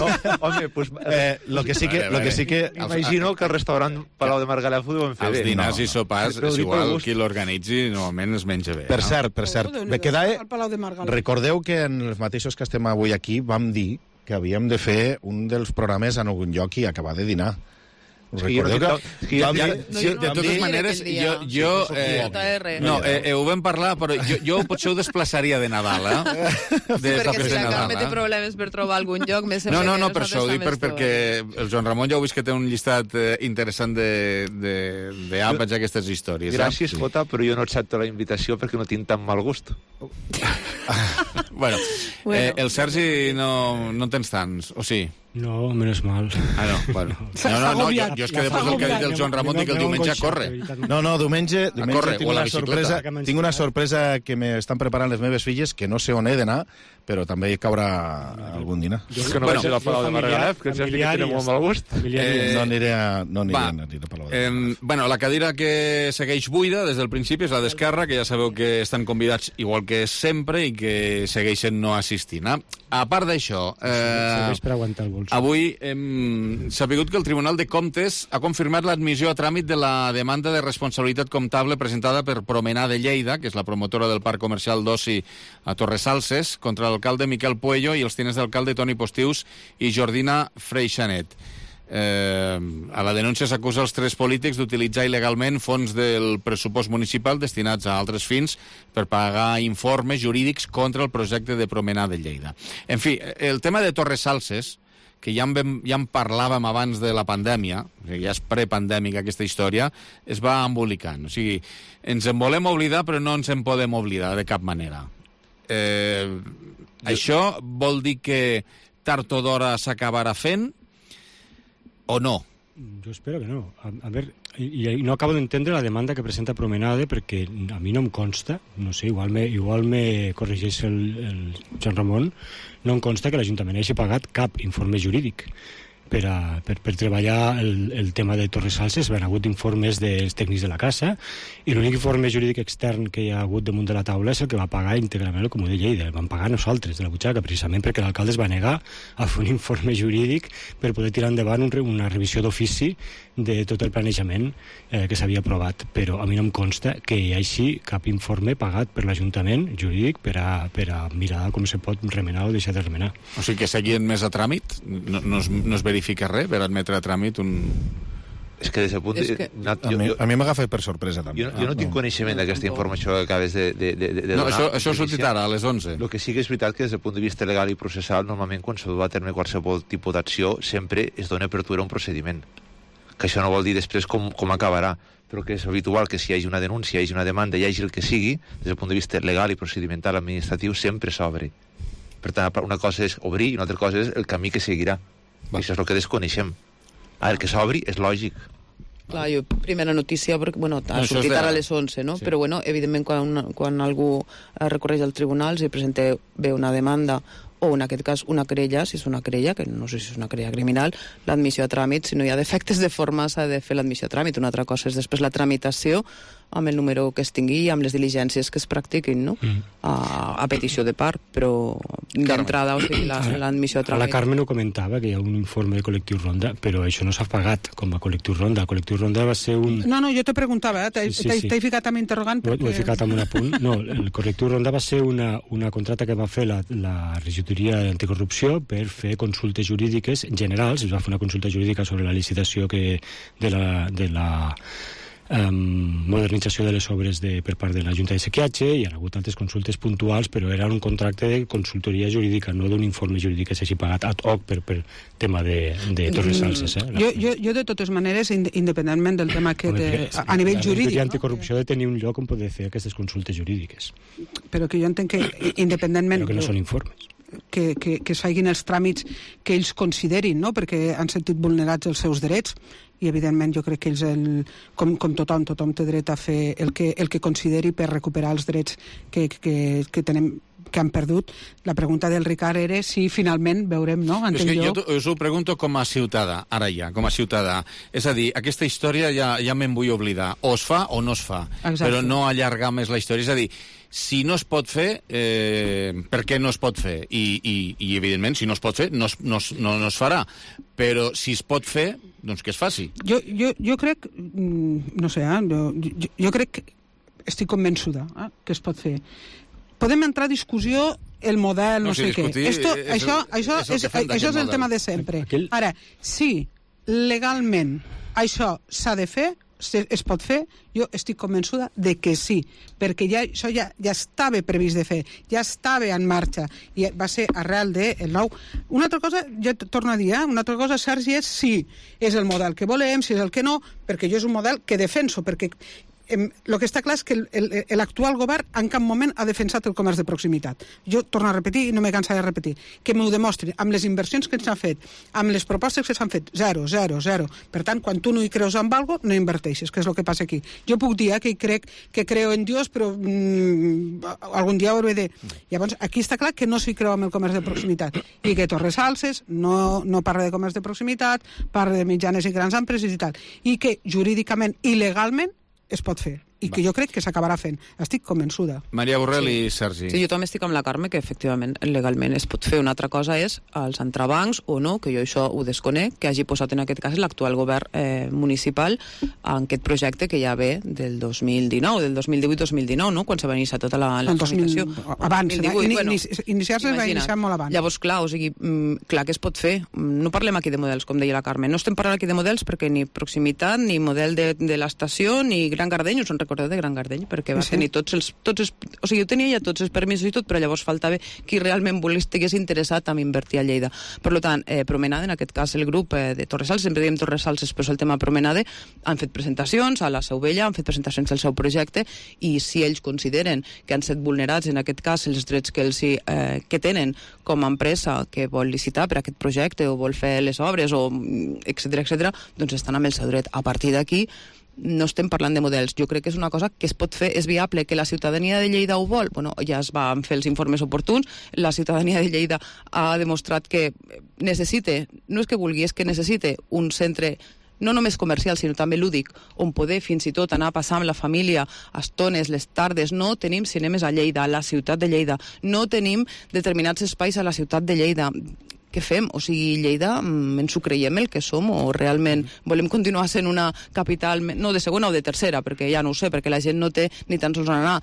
No, home, pues... Eh, lo que sí que... Lo que sí que Imagino que el restaurant Palau de Margalef ho deuen fer els bé. Els dinars no, i sopars, no. és igual qui l'organitzi, normalment es menja bé. Per no? cert, per cert. Oh, Me queda... al Palau de Margalef. Recordeu que en els mateixos que estem avui aquí vam dir que havíem de fer un dels programes en algun lloc i acabar de dinar. Us recordeu que... que ja, ja, sí, de totes maneres, jo... jo eh, no, eh, eh, ho vam parlar, però jo, jo potser ho desplaçaria de Nadal, eh? De perquè si de la Carme Nadal, té eh? problemes per trobar algun lloc, més No, no, no, per això ho dic, per, perquè el Joan Ramon ja heu vist que té un llistat eh, interessant d'àpats a aquestes històries. Gràcies, eh? Jota, però jo no accepto la invitació perquè no tinc tan mal gust. bueno, bueno. Eh, el Sergi no, no en tens tants, o sí? No, menos mal. Ah, no, bueno. No, no, no, jo, jo és que després del que ha dit el Joan Ramon dic que el diumenge corre. No, no, diumenge, diumenge corre, tinc, una sorpresa, tinc una sorpresa que m'estan preparant les meves filles, que no sé on he d'anar, però també hi caurà algun dinar. Jo que no bueno, vaig a la Palau de Margalef, que ens que tenen molt mal gust. Eh, no aniré a, no aniré va, a, aniré a Palau de Margalef. Eh, bueno, la cadira que segueix buida des del principi és la d'Esquerra, que ja sabeu que estan convidats igual que sempre i que segueixen no assistint. Eh? A part d'això, eh, per aguantar el bolso. Avui hem sabut que el Tribunal de Comptes ha confirmat l'admissió a tràmit de la demanda de responsabilitat comptable presentada per Promenà de Lleida, que és la promotora del Parc Comercial d'Oci a Torresalses, contra l'alcalde Miquel Puello i els tinents d'alcalde Toni Postius i Jordina Freixanet. Eh, a la denúncia s'acusa els tres polítics d'utilitzar il·legalment fons del pressupost municipal destinats a altres fins per pagar informes jurídics contra el projecte de Promenà de Lleida. En fi, el tema de Torresalses, que ja en, vam, ja en parlàvem abans de la pandèmia, ja és prepandèmica aquesta història, es va embolicant. O sigui, ens en volem oblidar, però no ens en podem oblidar de cap manera. Eh, jo... Això vol dir que tard o d'hora s'acabarà fent o no? Jo espero que no. A, a veure, i, i no acabo d'entendre la demanda que presenta Promenade perquè a mi no em consta, no sé, igual me, igual me corregeix el, el Joan Ramon, no em consta que l'Ajuntament hagi pagat cap informe jurídic per, a, per, per treballar el, el tema de Torresalses. Hi ha hagut informes dels tècnics de la casa i l'únic informe jurídic extern que hi ha hagut damunt de la taula és el que va pagar íntegrament el Comú de Lleida. El van pagar nosaltres, de la butxaca, precisament perquè l'alcalde es va negar a fer un informe jurídic per poder tirar endavant un, una revisió d'ofici de tot el planejament eh, que s'havia aprovat. Però a mi no em consta que hi hagi cap informe pagat per l'Ajuntament jurídic per a, per a mirar com se pot remenar o deixar de remenar. O sigui que seguien més a tràmit? No, no, es, no es verifica res per admetre a tràmit un... És que des del punt de... que... No, jo, a mi, a mi m'agafa per sorpresa, també. Jo, jo no tinc coneixement d'aquesta informació que acabes de, de, de, de donar. No, això, això ha sortit ara, a les onze. El que sí que és veritat que des del punt de vista legal i processal, normalment quan s'ha dut a terme qualsevol tipus d'acció, sempre es dona apertura a un procediment. Que això no vol dir després com, com acabarà, però que és habitual que si hi hagi una denúncia, hi hagi una demanda, hi hagi el que sigui, des del punt de vista legal i procedimental administratiu, sempre s'obre. Per tant, una cosa és obrir i una altra cosa és el camí que seguirà. Va. Això és el que desconeixem. A veure, que s'obri és lògic. Clar, jo, primera notícia, perquè, bueno, ha no, sortit de... ara a les onze, no? Sí. Però, bueno, evidentment, quan, quan algú recorreix al tribunal, si presenta bé una demanda o, en aquest cas, una querella, si és una querella, que no sé si és una querella criminal, l'admissió a tràmit, si no hi ha defectes de forma, s'ha de fer l'admissió a tràmit. Una altra cosa és després la tramitació amb el número que es tingui i amb les diligències que es practiquin, no? Mm. A, a petició de part, però d'entrada, o sigui, l'admissió a tràmit. La Carmen ho comentava, que hi ha un informe de Col·lectiu Ronda, però això no s'ha pagat com a Col·lectiu Ronda. El Col·lectiu Ronda va ser un... No, no, jo te preguntava, eh? T'he sí, sí, sí. ficat amb interrogant perquè... Ho he ficat amb un apunt. No, el Col·lectiu Ronda va ser una, una contracta que va fer la, la regidoria d'anticorrupció per fer consultes jurídiques generals. Es va fer una consulta jurídica sobre la licitació que, de la... De la um, modernització de les obres de, per part de la Junta de Sequiatge, i hi ha hagut altres consultes puntuals, però era un contracte de consultoria jurídica, no d'un informe jurídic que s'hagi pagat ad hoc per, per tema de, de Torres Salses. Eh? Jo, jo, jo, de totes maneres, independentment del tema que Home, de, a, a nivell jurídic... La anticorrupció no? de tenir un lloc on poder fer aquestes consultes jurídiques. Però que jo entenc que, independentment... Però que no són informes. Que, que, que es facin els tràmits que ells considerin, no? Perquè han sentit vulnerats els seus drets, i evidentment jo crec que ells, el, com, com tothom, tothom té dret a fer el que, el que consideri per recuperar els drets que, que, que tenem, que han perdut. La pregunta del Ricard era si finalment veurem, no? És que jo us ho pregunto com a ciutadà, ara ja, com a ciutadà. És a dir, aquesta història ja, ja me'n vull oblidar. O es fa o no es fa. Exacte. Però no allargar més la història. És a dir, si no es pot fer, eh, per què no es pot fer? I, i, i evidentment, si no es pot fer, no es, no, es, no, no es farà. Però si es pot fer, doncs que es faci. Jo, jo, jo crec, no sé, eh, jo, jo, jo crec que estic convençuda eh, que es pot fer. Podem entrar a discussió el model, no, no sé, sé què. Esto, és això el, això és, és, el, això és el tema de sempre. Aquell... Ara, si legalment això s'ha de fer, es pot fer, jo estic convençuda de que sí, perquè ja, això ja, ja estava previst de fer, ja estava en marxa, i va ser arrel del nou. Una altra cosa, jo torno a dir, eh? una altra cosa, Sergi, és si és el model que volem, si és el que no, perquè jo és un model que defenso, perquè el que està clar és que l'actual govern en cap moment ha defensat el comerç de proximitat. Jo torno a repetir i no me cansaré de repetir. Que m'ho demostrin amb les inversions que s'han fet, amb les propostes que s'han fet, zero, zero, zero. Per tant, quan tu no hi creus en algo, no inverteixes, que és el que passa aquí. Jo puc dir eh, que crec que creo en Dios, però mmm, algun dia ho hauré de... Llavors, aquí està clar que no s'hi creu amb el comerç de proximitat. I que Torres Salses no, no parla de comerç de proximitat, parla de mitjanes i grans empreses i tal. I que jurídicament i legalment es pot fer, i que jo crec que s'acabarà fent. Estic convençuda. Maria Borrell sí. i Sergi. Sí, jo també estic amb la Carme, que efectivament legalment es pot fer. Una altra cosa és els entrebancs o no, que jo això ho desconec, que hagi posat en aquest cas l'actual govern eh, municipal en aquest projecte que ja ve del dos mil dinou, del dos mil divuit dos mil dinou, no? Quan se va iniciar tota la, la tramitació. Abans, dos mil divuit, in, bueno, iniciar-se va iniciar molt abans. Llavors, clar, o sigui, clar que es pot fer. No parlem aquí de models, com deia la Carme. No estem parlant aquí de models perquè ni proximitat, ni model de, de l'estació, ni Gran Gardeny, us en recordeu de Gran Gardeny? Perquè va sí. tenir tots els, tots els... O sigui, jo tenia ja tots els permisos i tot, però llavors faltava qui realment volgués, estigués interessat en invertir a Lleida. Per tant, eh, Promenade, en aquest cas el grup eh, de Torres Salses, sempre diem Torres Salses, però és el tema Promenade, han fet presentacions a la Seu Vella, han fet presentacions del seu projecte, i si ells consideren que han estat vulnerats, en aquest cas, els drets que, els, eh, que tenen com a empresa que vol licitar per aquest projecte o vol fer les obres, o etcètera, etcètera, doncs estan amb el seu dret. A partir d'aquí, no estem parlant de models. Jo crec que és una cosa que es pot fer, és viable, que la ciutadania de Lleida ho vol. Bueno, ja es van fer els informes oportuns, la ciutadania de Lleida ha demostrat que necessita, no és que vulgui, és que necessita un centre no només comercial, sinó també lúdic, on poder fins i tot anar a passar amb la família estones, les tardes. No tenim cinemes a Lleida, a la ciutat de Lleida. No tenim determinats espais a la ciutat de Lleida. Què fem? O sigui, Lleida, ens ho creiem el que som, o realment volem continuar sent una capital, no de segona o de tercera, perquè ja no ho sé, perquè la gent no té ni tan sols on anar.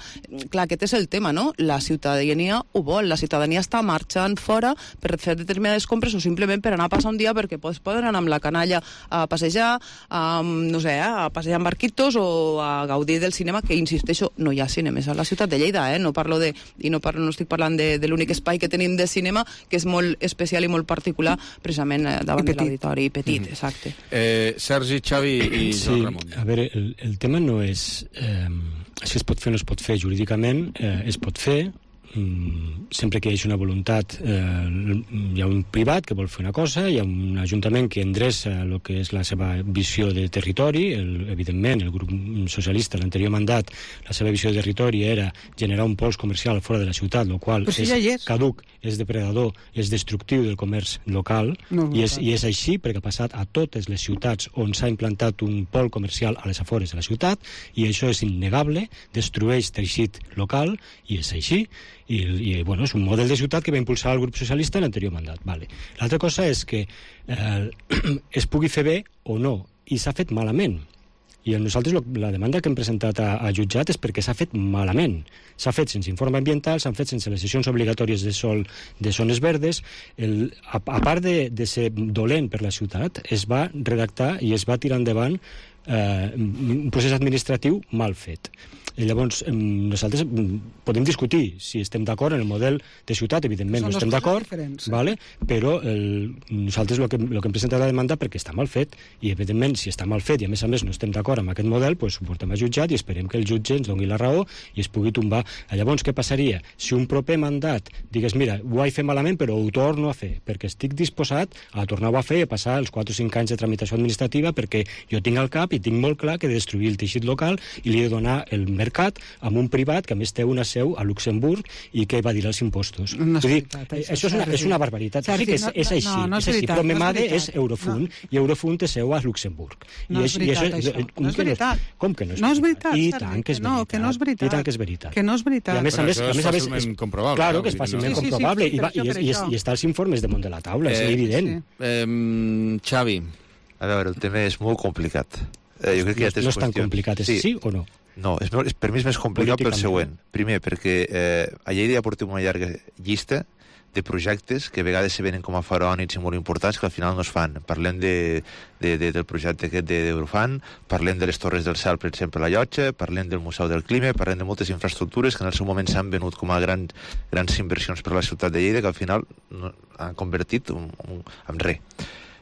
Clar, aquest és el tema, no? La ciutadania ho vol, la ciutadania està marxant fora per fer determinades compres o simplement per anar a passar un dia perquè poden anar amb la canalla a passejar, a, no sé, a passejar amb barquitos o a gaudir del cinema, que, insisteixo, no hi ha cinemes a la ciutat de Lleida, eh? No parlo de... I no, parlo, no estic parlant de, de l'únic espai que tenim de cinema, que és molt especial i molt particular, precisament davant de l'auditori petit, mm. exacte. Eh, Sergi, Xavi i sí, Joan Ramon. A veure, el, el tema no és eh, si es pot fer o no es pot fer jurídicament, eh, es pot fer, mm, sempre que hi hagi una voluntat, eh, hi ha un privat que vol fer una cosa, hi ha un ajuntament que endreça el que és la seva visió de territori, el, evidentment el grup socialista, l'anterior mandat, la seva visió de territori era generar un pols comercial fora de la ciutat, el qual si és, ja és caduc, és depredador, és destructiu del comerç local, no, i, és, i és així perquè ha passat a totes les ciutats on s'ha implantat un pol comercial a les afores de la ciutat, i això és innegable, destrueix teixit local, i és així. I, i bueno, és un model de ciutat que va impulsar el grup socialista en l'anterior mandat. Vale. L'altra cosa és que eh, es pugui fer bé o no, i s'ha fet malament. I nosaltres la demanda que hem presentat a, a jutjat és perquè s'ha fet malament. S'ha fet sense informe ambiental, s'han fet sense les sessions obligatòries de sol de zones verdes. El, a, a part de, de ser dolent per la ciutat, es va redactar i es va tirar endavant eh, un procés administratiu mal fet. I llavors, nosaltres podem discutir si estem d'acord en el model de ciutat, evidentment no estem d'acord, vale? Però el, nosaltres el que, el que hem presentat la demanda perquè està mal fet, i evidentment si està mal fet i a més a més no estem d'acord amb aquest model, doncs ho portem a jutjat i esperem que el jutge ens doni la raó i es pugui tombar. Llavors, què passaria? Si un proper mandat digués, mira, ho vaig fer malament però ho torno a fer, perquè estic disposat a tornar-ho a fer i a passar els quatre o cinc anys de tramitació administrativa, perquè jo tinc al cap i tinc molt clar que he de destruir el teixit local i li he de donar el mercat amb un privat que a més té una seu a Luxemburg i que va dir els impostos. No és dir, veritat, això, això és, una, és una barbaritat. Sergi, sí que és, és així, no, no és és així veritat, però no és Memade veritat. és Eurofund No. i Eurofund té seu a Luxemburg. No I és veritat, i això. Com No és que veritat. Com que no és No és veritat? veritat, I Sergi, tant que és que no, veritat. que no és veritat. I tant que és veritat. Que no és veritat. I a més a Però més, això a és més, a més fàcilment comprovable. Claro que és Vull dir, fàcilment no? sí, comprovable sí, sí, i, va, per i, això, és, i, és, per i està als informes damunt de la taula, és Eh, evident. Eh, Xavi. A veure, el tema és molt complicat. Eh, jo crec que hi ha tres No és tan qüestions. complicat, és sí o no? No, és, molt- és, per mi és més complicat pel següent. Primer, perquè eh, a Lleida ja portem una llarga llista de projectes que a vegades se venen com a faraònics i molt importants que al final no es fan. Parlem de, de, de, del projecte aquest d'Eurofan, parlem de les Torres del Cel, per exemple, a la Llotja, parlem del Museu del Clima, parlem de moltes infraestructures que en el seu moment s'han venut com a gran, grans inversions per a la ciutat de Lleida que al final no, han convertit en, en, en res.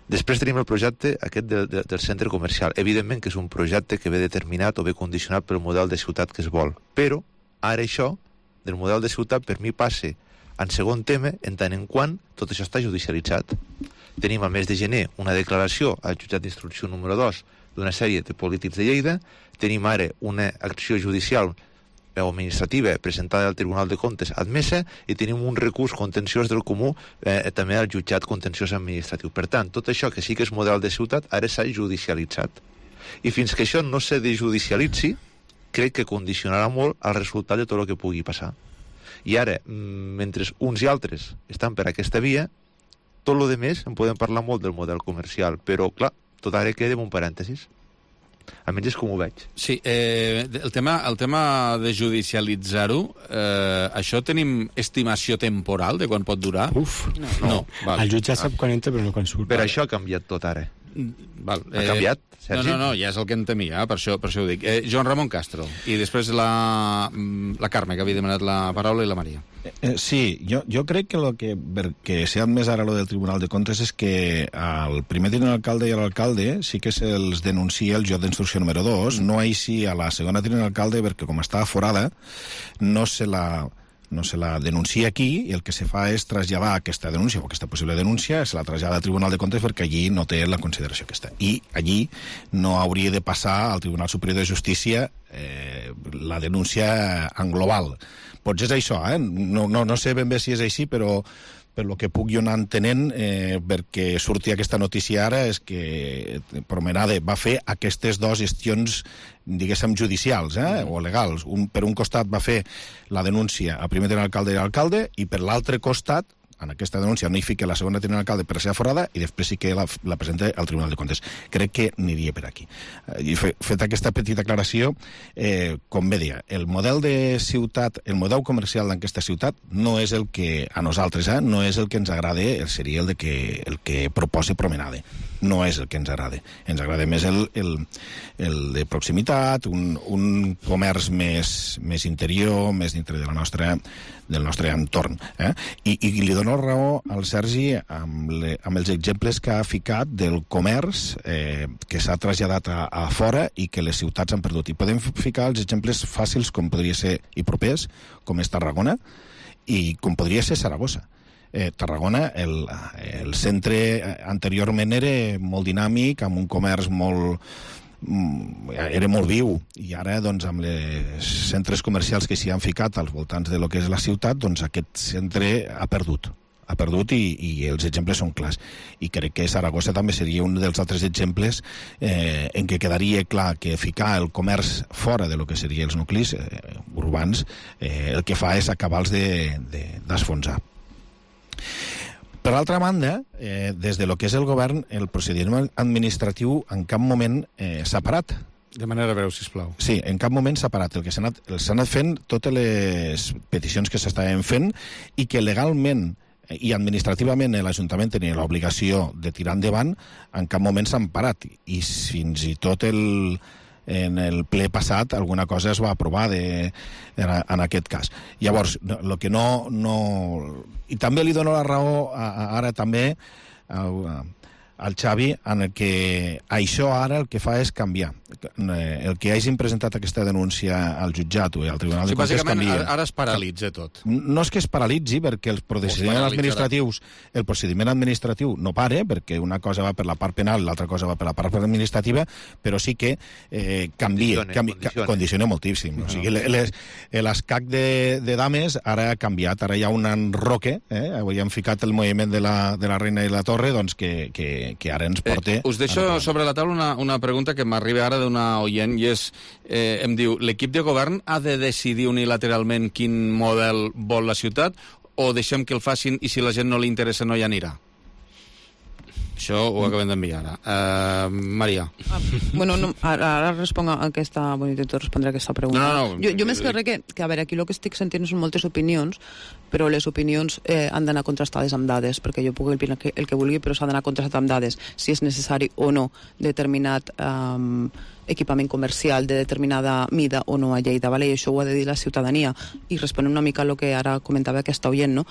Després tenim el projecte aquest de, de, del centre comercial. Evidentment que és un projecte que ve determinat o ve condicionat pel model de ciutat que es vol. Però ara això, del model de ciutat, per mi passa en segon tema, en tant en quant tot això està judicialitzat. Tenim al mes de gener una declaració al jutjat d'instrucció número dos d'una sèrie de polítics de Lleida. Tenim ara una acció judicial o administrativa presentada al Tribunal de Comptes admesa i tenim un recurs contenciós del comú eh, també al jutjat contenciós administratiu. Per tant, tot això que sí que és model de ciutat ara s'ha judicialitzat. I fins que això no se desjudicialitzi, crec que condicionarà molt el resultat de tot el que pugui passar. I ara, mentre uns i altres estan per aquesta via, tot el més en podem parlar molt del model comercial, però clar, tot ara queda en un parèntesis. Almenys és com ho veig. Sí, eh, el, tema, el tema de judicialitzar-ho, eh, això tenim estimació temporal de quan pot durar? Uf, no. no val. El jutge sap quan entra però no quan surt. Per això ha canviat tot ara. Val. Ha canviat, Sergi? No, no, no, ja és el que en temia, per això, per això ho dic. Eh, Joan Ramon Castro, i després la, la Carme, que havia demanat la paraula, i la Maria. Eh, sí, jo, jo crec que el que, que s'ha admès ara lo del Tribunal de Comptes és que el primer tinent alcalde i l'alcalde sí que se'ls denuncia el jutjat d'instrucció número dos, no així a la segona tinent alcalde, perquè com està forada, no se la... no se la denuncia aquí i el que se fa és traslladar aquesta denúncia o aquesta possible denúncia, se la trasllada al Tribunal de Comptes perquè allí no té la consideració que està. I allí no hauria de passar al Tribunal Superior de Justícia eh, la denúncia en global. Potser és això, eh? No, no, no sé ben bé si és així, però per lo que puc jo anar entenent, eh, perquè surti aquesta notícia ara, és que Promenade va fer aquestes dues gestions, diguéssim, judicials eh, o legals. Un, per un costat va fer la denúncia a primer tenent alcalde i alcalde, i per l'altre costat, en aquesta denúncia no hi fica la segona tinent alcalde per ser aforada i després sí que la, la presenta al Tribunal de Comptes. Crec que aniria per aquí. I fe, fet aquesta petita aclaració, eh, com bé dia, el model de ciutat, el model comercial d'aquesta ciutat no és el que a nosaltres, eh, no és el que ens agrada, seria el, de que, el que proposa Promenade. No és el que ens agrada. Ens agrada més el, el, el de proximitat, un, un comerç més, més interior, més dintre de la nostra, del nostre entorn. Eh? I, I li dono raó al Sergi amb, le, amb els exemples que ha ficat del comerç eh, que s'ha traslladat a, a fora i que les ciutats han perdut. I podem ficar els exemples fàcils com podria ser i propers, com és Tarragona, i com podria ser Saragossa. Eh, Tarragona, el, el centre anteriorment era molt dinàmic, amb un comerç molt... era molt viu, i ara doncs, amb els centres comercials que s'hi han ficat als voltants de lo que és la ciutat, doncs aquest centre ha perdut ha perdut i, i els exemples són clars, i crec que Saragossa també seria un dels altres exemples eh, en què quedaria clar que ficar el comerç fora de lo que serien els nuclis eh, urbans eh, el que fa és acabar-los d'esfonsar. De, Per altra banda, eh, des de lo que és el govern, el procediment administratiu en cap moment eh, s'ha parat. De manera breu, sisplau. Sí, en cap moment s'ha parat. El que s'ha anat, anat fent totes les peticions que s'estaven fent i que legalment i administrativament l'Ajuntament tenia l'obligació de tirar endavant, en cap moment s'han parat, i fins i tot el, en el ple passat alguna cosa es va aprovar de, en, en aquest cas. Llavors, el que no, no... I també li dono la raó a, a, ara també a, a, al Xavi, en el que això ara el que fa és canviar. El que hagin presentat aquesta denúncia al jutjat o al Tribunal de Comptes canvia. Ara, ara es paralitza tot. No és que es paralitzi, perquè el procediment administratiu, el procediment administratiu no pare, perquè una cosa va per la part penal, l'altra cosa va per la part administrativa, però sí que eh, canvia, condiciona, canvi, condiciona. condiciona moltíssim. No. O sigui, l'escac de, de dames ara ha canviat, ara hi ha un enroque, eh? Avui han ficat el moviment de la, de la Reina i la Torre, doncs que, que, que ara ens porta... Eh, us deixo sobre la taula una, una pregunta que m'arriba ara d'una oient, i és, eh, em diu, l'equip de govern ha de decidir unilateralment quin model vol la ciutat, o deixem que el facin i si la gent no li interessa no hi anirà? Això ho acabem d'enviar ara. Uh, Maria. Ah, bueno, no, ara, ara responc a aquesta... Bueno, intento respondre a aquesta pregunta. No, no, no. Jo, jo més que res que, que, a veure, aquí el que estic sentint són moltes opinions, però les opinions eh, han d'anar contrastades amb dades, perquè jo puc opinar el, el que vulgui, però s'ha d'anar contrastat amb dades, si és necessari o no determinat um, equipament comercial de determinada mida o no a Lleida, vale? I això ho ha de dir la ciutadania. I responent una mica a el que ara comentava aquesta oient, no?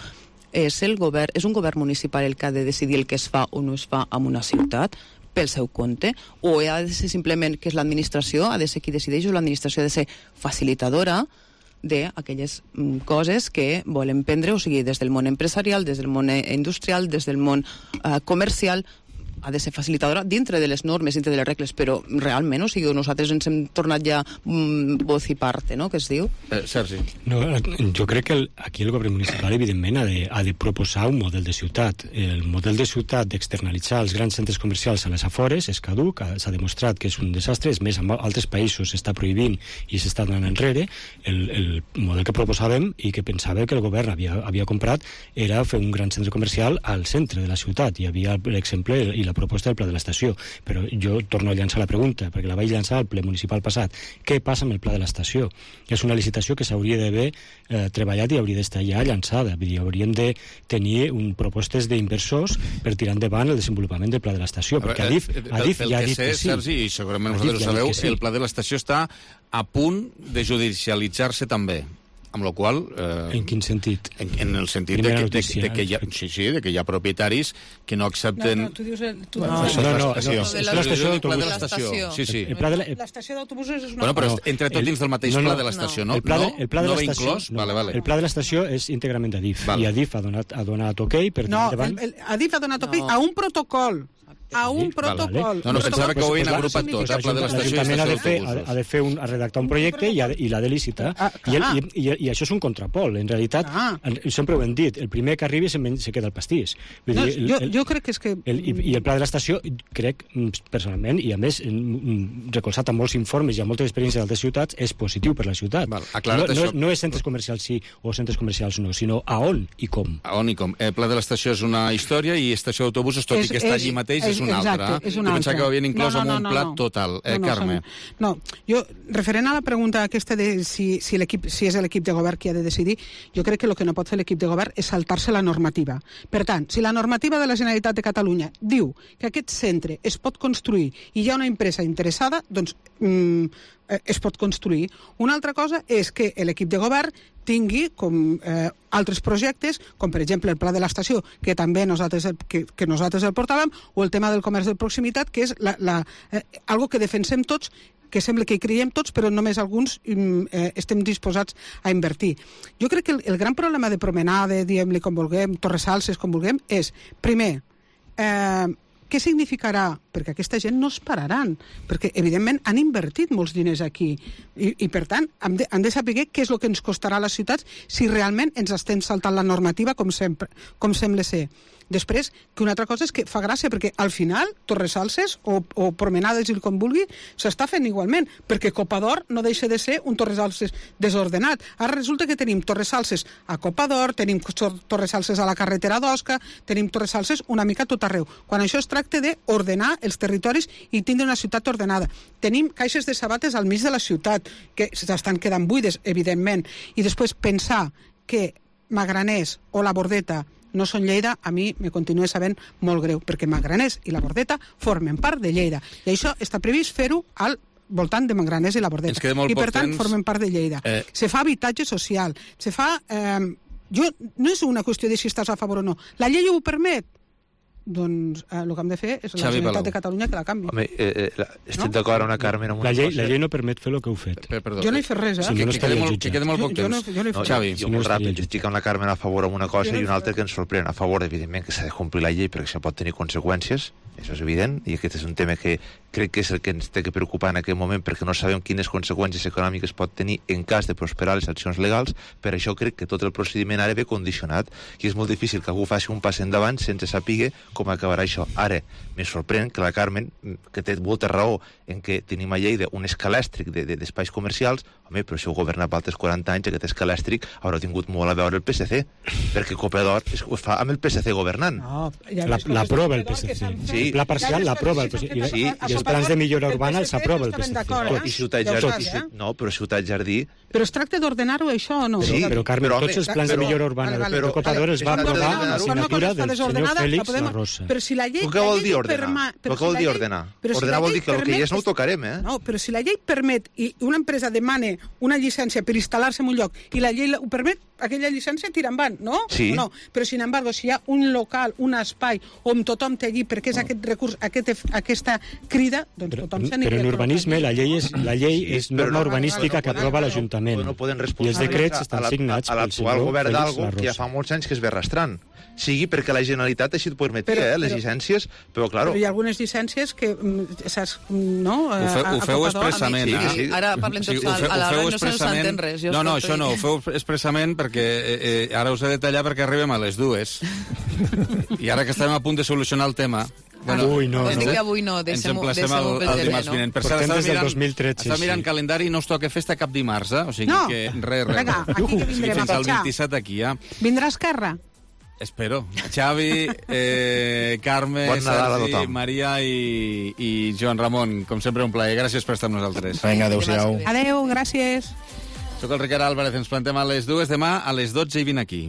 És, el govern, és un govern municipal el que ha de decidir el que es fa o no es fa en una ciutat pel seu compte, o ha de ser simplement que és l'administració, ha de ser qui decideix, o l'administració ha de ser facilitadora d'aquelles coses que volen prendre, o sigui, des del món empresarial, des del món industrial, des del món eh, comercial, ha de ser facilitadora dintre de les normes, dintre de les regles, però realment, o sigui, nosaltres ens hem tornat ja mm, voz i parte, no?, que es diu. Eh, Sergi. No, jo crec que el, aquí el govern municipal, evidentment, ha de, ha de proposar un model de ciutat. El model de ciutat d'externalitzar els grans centres comercials a les afores és caduc, s'ha demostrat que és un desastre, és més, en altres països s'està prohibint i s'està donant enrere. El, el model que proposàvem i que pensava que el govern havia, havia comprat era fer un gran centre comercial al centre de la ciutat. Hi havia, per exemple, i la proposta del pla de l'estació, però jo torno a llançar la pregunta, perquè la vaig llançar al ple municipal passat. Què passa amb el pla de l'estació? És una licitació que s'hauria d'haver eh, treballat i hauria d'estar ja llançada. Vull dir, hauríem de tenir un, propostes d'inversors per tirar endavant el desenvolupament del pla de l'estació, perquè Adif, Adif ja ha dit que sí. Sergi, i segurament vosaltres ho sabeu, sí. El pla de l'estació està a punt de judicialitzar-se també. Amb la qual cosa... Eh, en quin sentit? En, en el sentit de que, notícia, de, de, que hi ha, sí, sí, de que hi ha propietaris que no accepten... No, no, tu dius... El, tu no, no, no, no, no, és l'estació d'autobús. Sí, sí. L'estació d'autobusos és una... Bueno, però entre tot dins del mateix pla de l'estació, no? El pla de, el pla de no, l'estació... No, vale, vale. El pla de l'estació és íntegrament d'Adif, vale. I Adif ha donat, ha donat ok per... No, el, el, Adif ha donat ok no. a un protocol. A un protocol. No, no, pensava que ho havien agrupat tot, el pla de l'estació i l'Ajuntament ha de fer, ha de fer un, a redactar un projecte i, ha de, i l'ha de licitar. Ah, I, el, i, i, I això és un contrapol. En realitat, ah. sempre ho hem dit, el primer que arribi se, se queda el pastís. Vull no, dir, el, jo, el, jo crec que és que... El, i, I el pla de l'estació, crec, personalment, i a més, recolzat a molts informes i a moltes experiències d'altres ciutats, és positiu per la ciutat. Val, no, no, no és centres comercials sí o centres comercials no, sinó a on i com. A on i com. El pla de l'estació és una història i estació d'autobusos, tot és, i que està allí mateix, és, és una altra. És jo pensava que ho havien inclòs no, no, no, en un plat no, no. total. Eh, no, no, Carme? Som... No, jo, referent a la pregunta aquesta de si, si, l'equip, si és l'equip de govern qui ha de decidir, jo crec que el que no pot fer l'equip de govern és saltar-se la normativa. Per tant, si la normativa de la Generalitat de Catalunya diu que aquest centre es pot construir i hi ha una empresa interessada, doncs mm, es pot construir. Una altra cosa és que l'equip de govern tingui com eh, altres projectes, com per exemple el pla de l'estació, que també nosaltres, que, que nosaltres el portàvem, o el tema del comerç de proximitat, que és la, la, eh, algo que defensem tots, que sembla que hi creiem tots, però només alguns eh, estem disposats a invertir. Jo crec que el, el gran problema de promenada, diguem-li com vulguem, Torres Salses, com vulguem, és, primer, eh, què significarà? Perquè aquesta gent no es pararan, perquè evidentment han invertit molts diners aquí i, i per tant han de, han de saber què és el que ens costarà a les ciutats si realment ens estem saltant la normativa com, sempre, com sembla ser. Després, que una altra cosa és que fa gràcia, perquè al final Torres Salses o, o Promenades i com vulgui s'està fent igualment, perquè Copa d'Or no deixa de ser un Torres Salses desordenat. Ara resulta que tenim Torres Salses a Copa d'Or, tenim Torres Salses a la carretera d'Osca, tenim Torres Salses una mica tot arreu, quan això es tracta d'ordenar els territoris i tindre una ciutat ordenada. Tenim caixes de sabates al mig de la ciutat, que s'estan quedant buides, evidentment, i després pensar que Magraners o la Bordeta no són Lleida, a mi me continua sabent molt greu, perquè Magraners i la Bordeta formen part de Lleida. I això està previst fer-ho al voltant de Magraners i la Bordeta. I per tant temps... formen part de Lleida. Eh... Se fa habitatge social, se fa... Eh, jo, no és una qüestió de si estàs a favor o no. La llei ho permet? Doncs eh, el que hem de fer és la Xavi Generalitat Palau. de Catalunya que la canvi. Home, eh, eh, estic no? d'acord amb una Carmen amb una la llei, cosa. La llei no permet fer el que heu fet. Per, perdó, jo no he fet res, eh? Si no, no que, quede molt, que quede molt poc temps. Jo no, jo no he fet no, Xavi, jo, jo molt ràpid, jo estic amb la Carmen a favor amb una cosa no i una altra que ens sorprèn. A favor, evidentment, que s'ha de complir la llei perquè això pot tenir conseqüències, això és evident, i aquest és un tema que crec que és el que ens té que preocupar en aquest moment perquè no sabem quines conseqüències econòmiques pot tenir en cas de prosperar les accions legals. Per això crec que tot el procediment ara ve condicionat i és molt difícil que algú faci un pas endavant sense saber com acabarà això. Ara, me sorprèn que la Carmen, que té molta raó en què tenim a Lleida un escalèstric d'espais de, de, comercials, home, però si heu governat per altres quaranta anys, aquest escalèstric haurà tingut molt a veure el P S C, perquè Copa d'Or ho fa amb el P S C governant. No, ja l'aprova el P S C. Sí. La parcial l'aprova el P S C. I, sí. I els plans de millora urbana els aprova el P S C. Eh? I Ciutat Jardí, ja no, però Ciutat Jardí... Però es tracta d'ordenar-ho, això, o no? Sí, però, Carmen, però, tots els plans però, de millora urbana vale, vale, de Copa d'Or es va aprovar amb la signatura del senyor Fèlix La Rosa. Però si la llei... Què vol dir ordenar? Què vol dir ordenar? Ordenar vol dir que el que hi és no ho tocarem, eh? No, però si la llei permet i una empresa demana una llicència per instal·lar-se en un lloc i la llei ho permet, aquella llicència tira endavant, no? Sí. No, però sin embargo, si hi ha un local, un espai on tothom té allí perquè és aquest recurs, aquest, aquesta crida, doncs tothom s'anirà. Però en urbanisme la llei és, la llei és norma urbanística que aprova l'Ajuntament. No poden I els decrets estan signats a l'actual govern d'Algo que ja fa molts anys que es ve arrastrant. Sigui perquè la Generalitat així et permetia, però, eh, les però, llicències, però, clar... Però hi ha algunes llicències que, saps, no? Ho, fe, ho feu expressament. Sí, sí, sí. Ara parlem tots, sí, fe, a l'hora no se s'entén res. No, no, això no, ho feu expressament perquè eh, eh, ara us he de tallar perquè arribem a les dues. I ara que estem a punt de solucionar el tema... Bueno, Ui, no, no. Que avui no, deixem-ho deixem el, el dimarts no? vinent. Per cert, estava mirant, dos mil tretze, està mirant sí. calendari i no us toca festa cap dimarts, eh? O sigui no. que res, res. Vinga, aquí que vindrem fins al vint-i-set aquí, ja. Vindrà Esquerra? Espero. Xavi, eh, Carme, bon Sergi, Maria i, i Joan Ramon. Com sempre, un plaer. Gràcies per estar amb nosaltres. Vinga, adéu-siau. Adéu, gràcies. Soc el Ricard Álvarez. Ens plantem a les dues demà, a les dotze i vint aquí.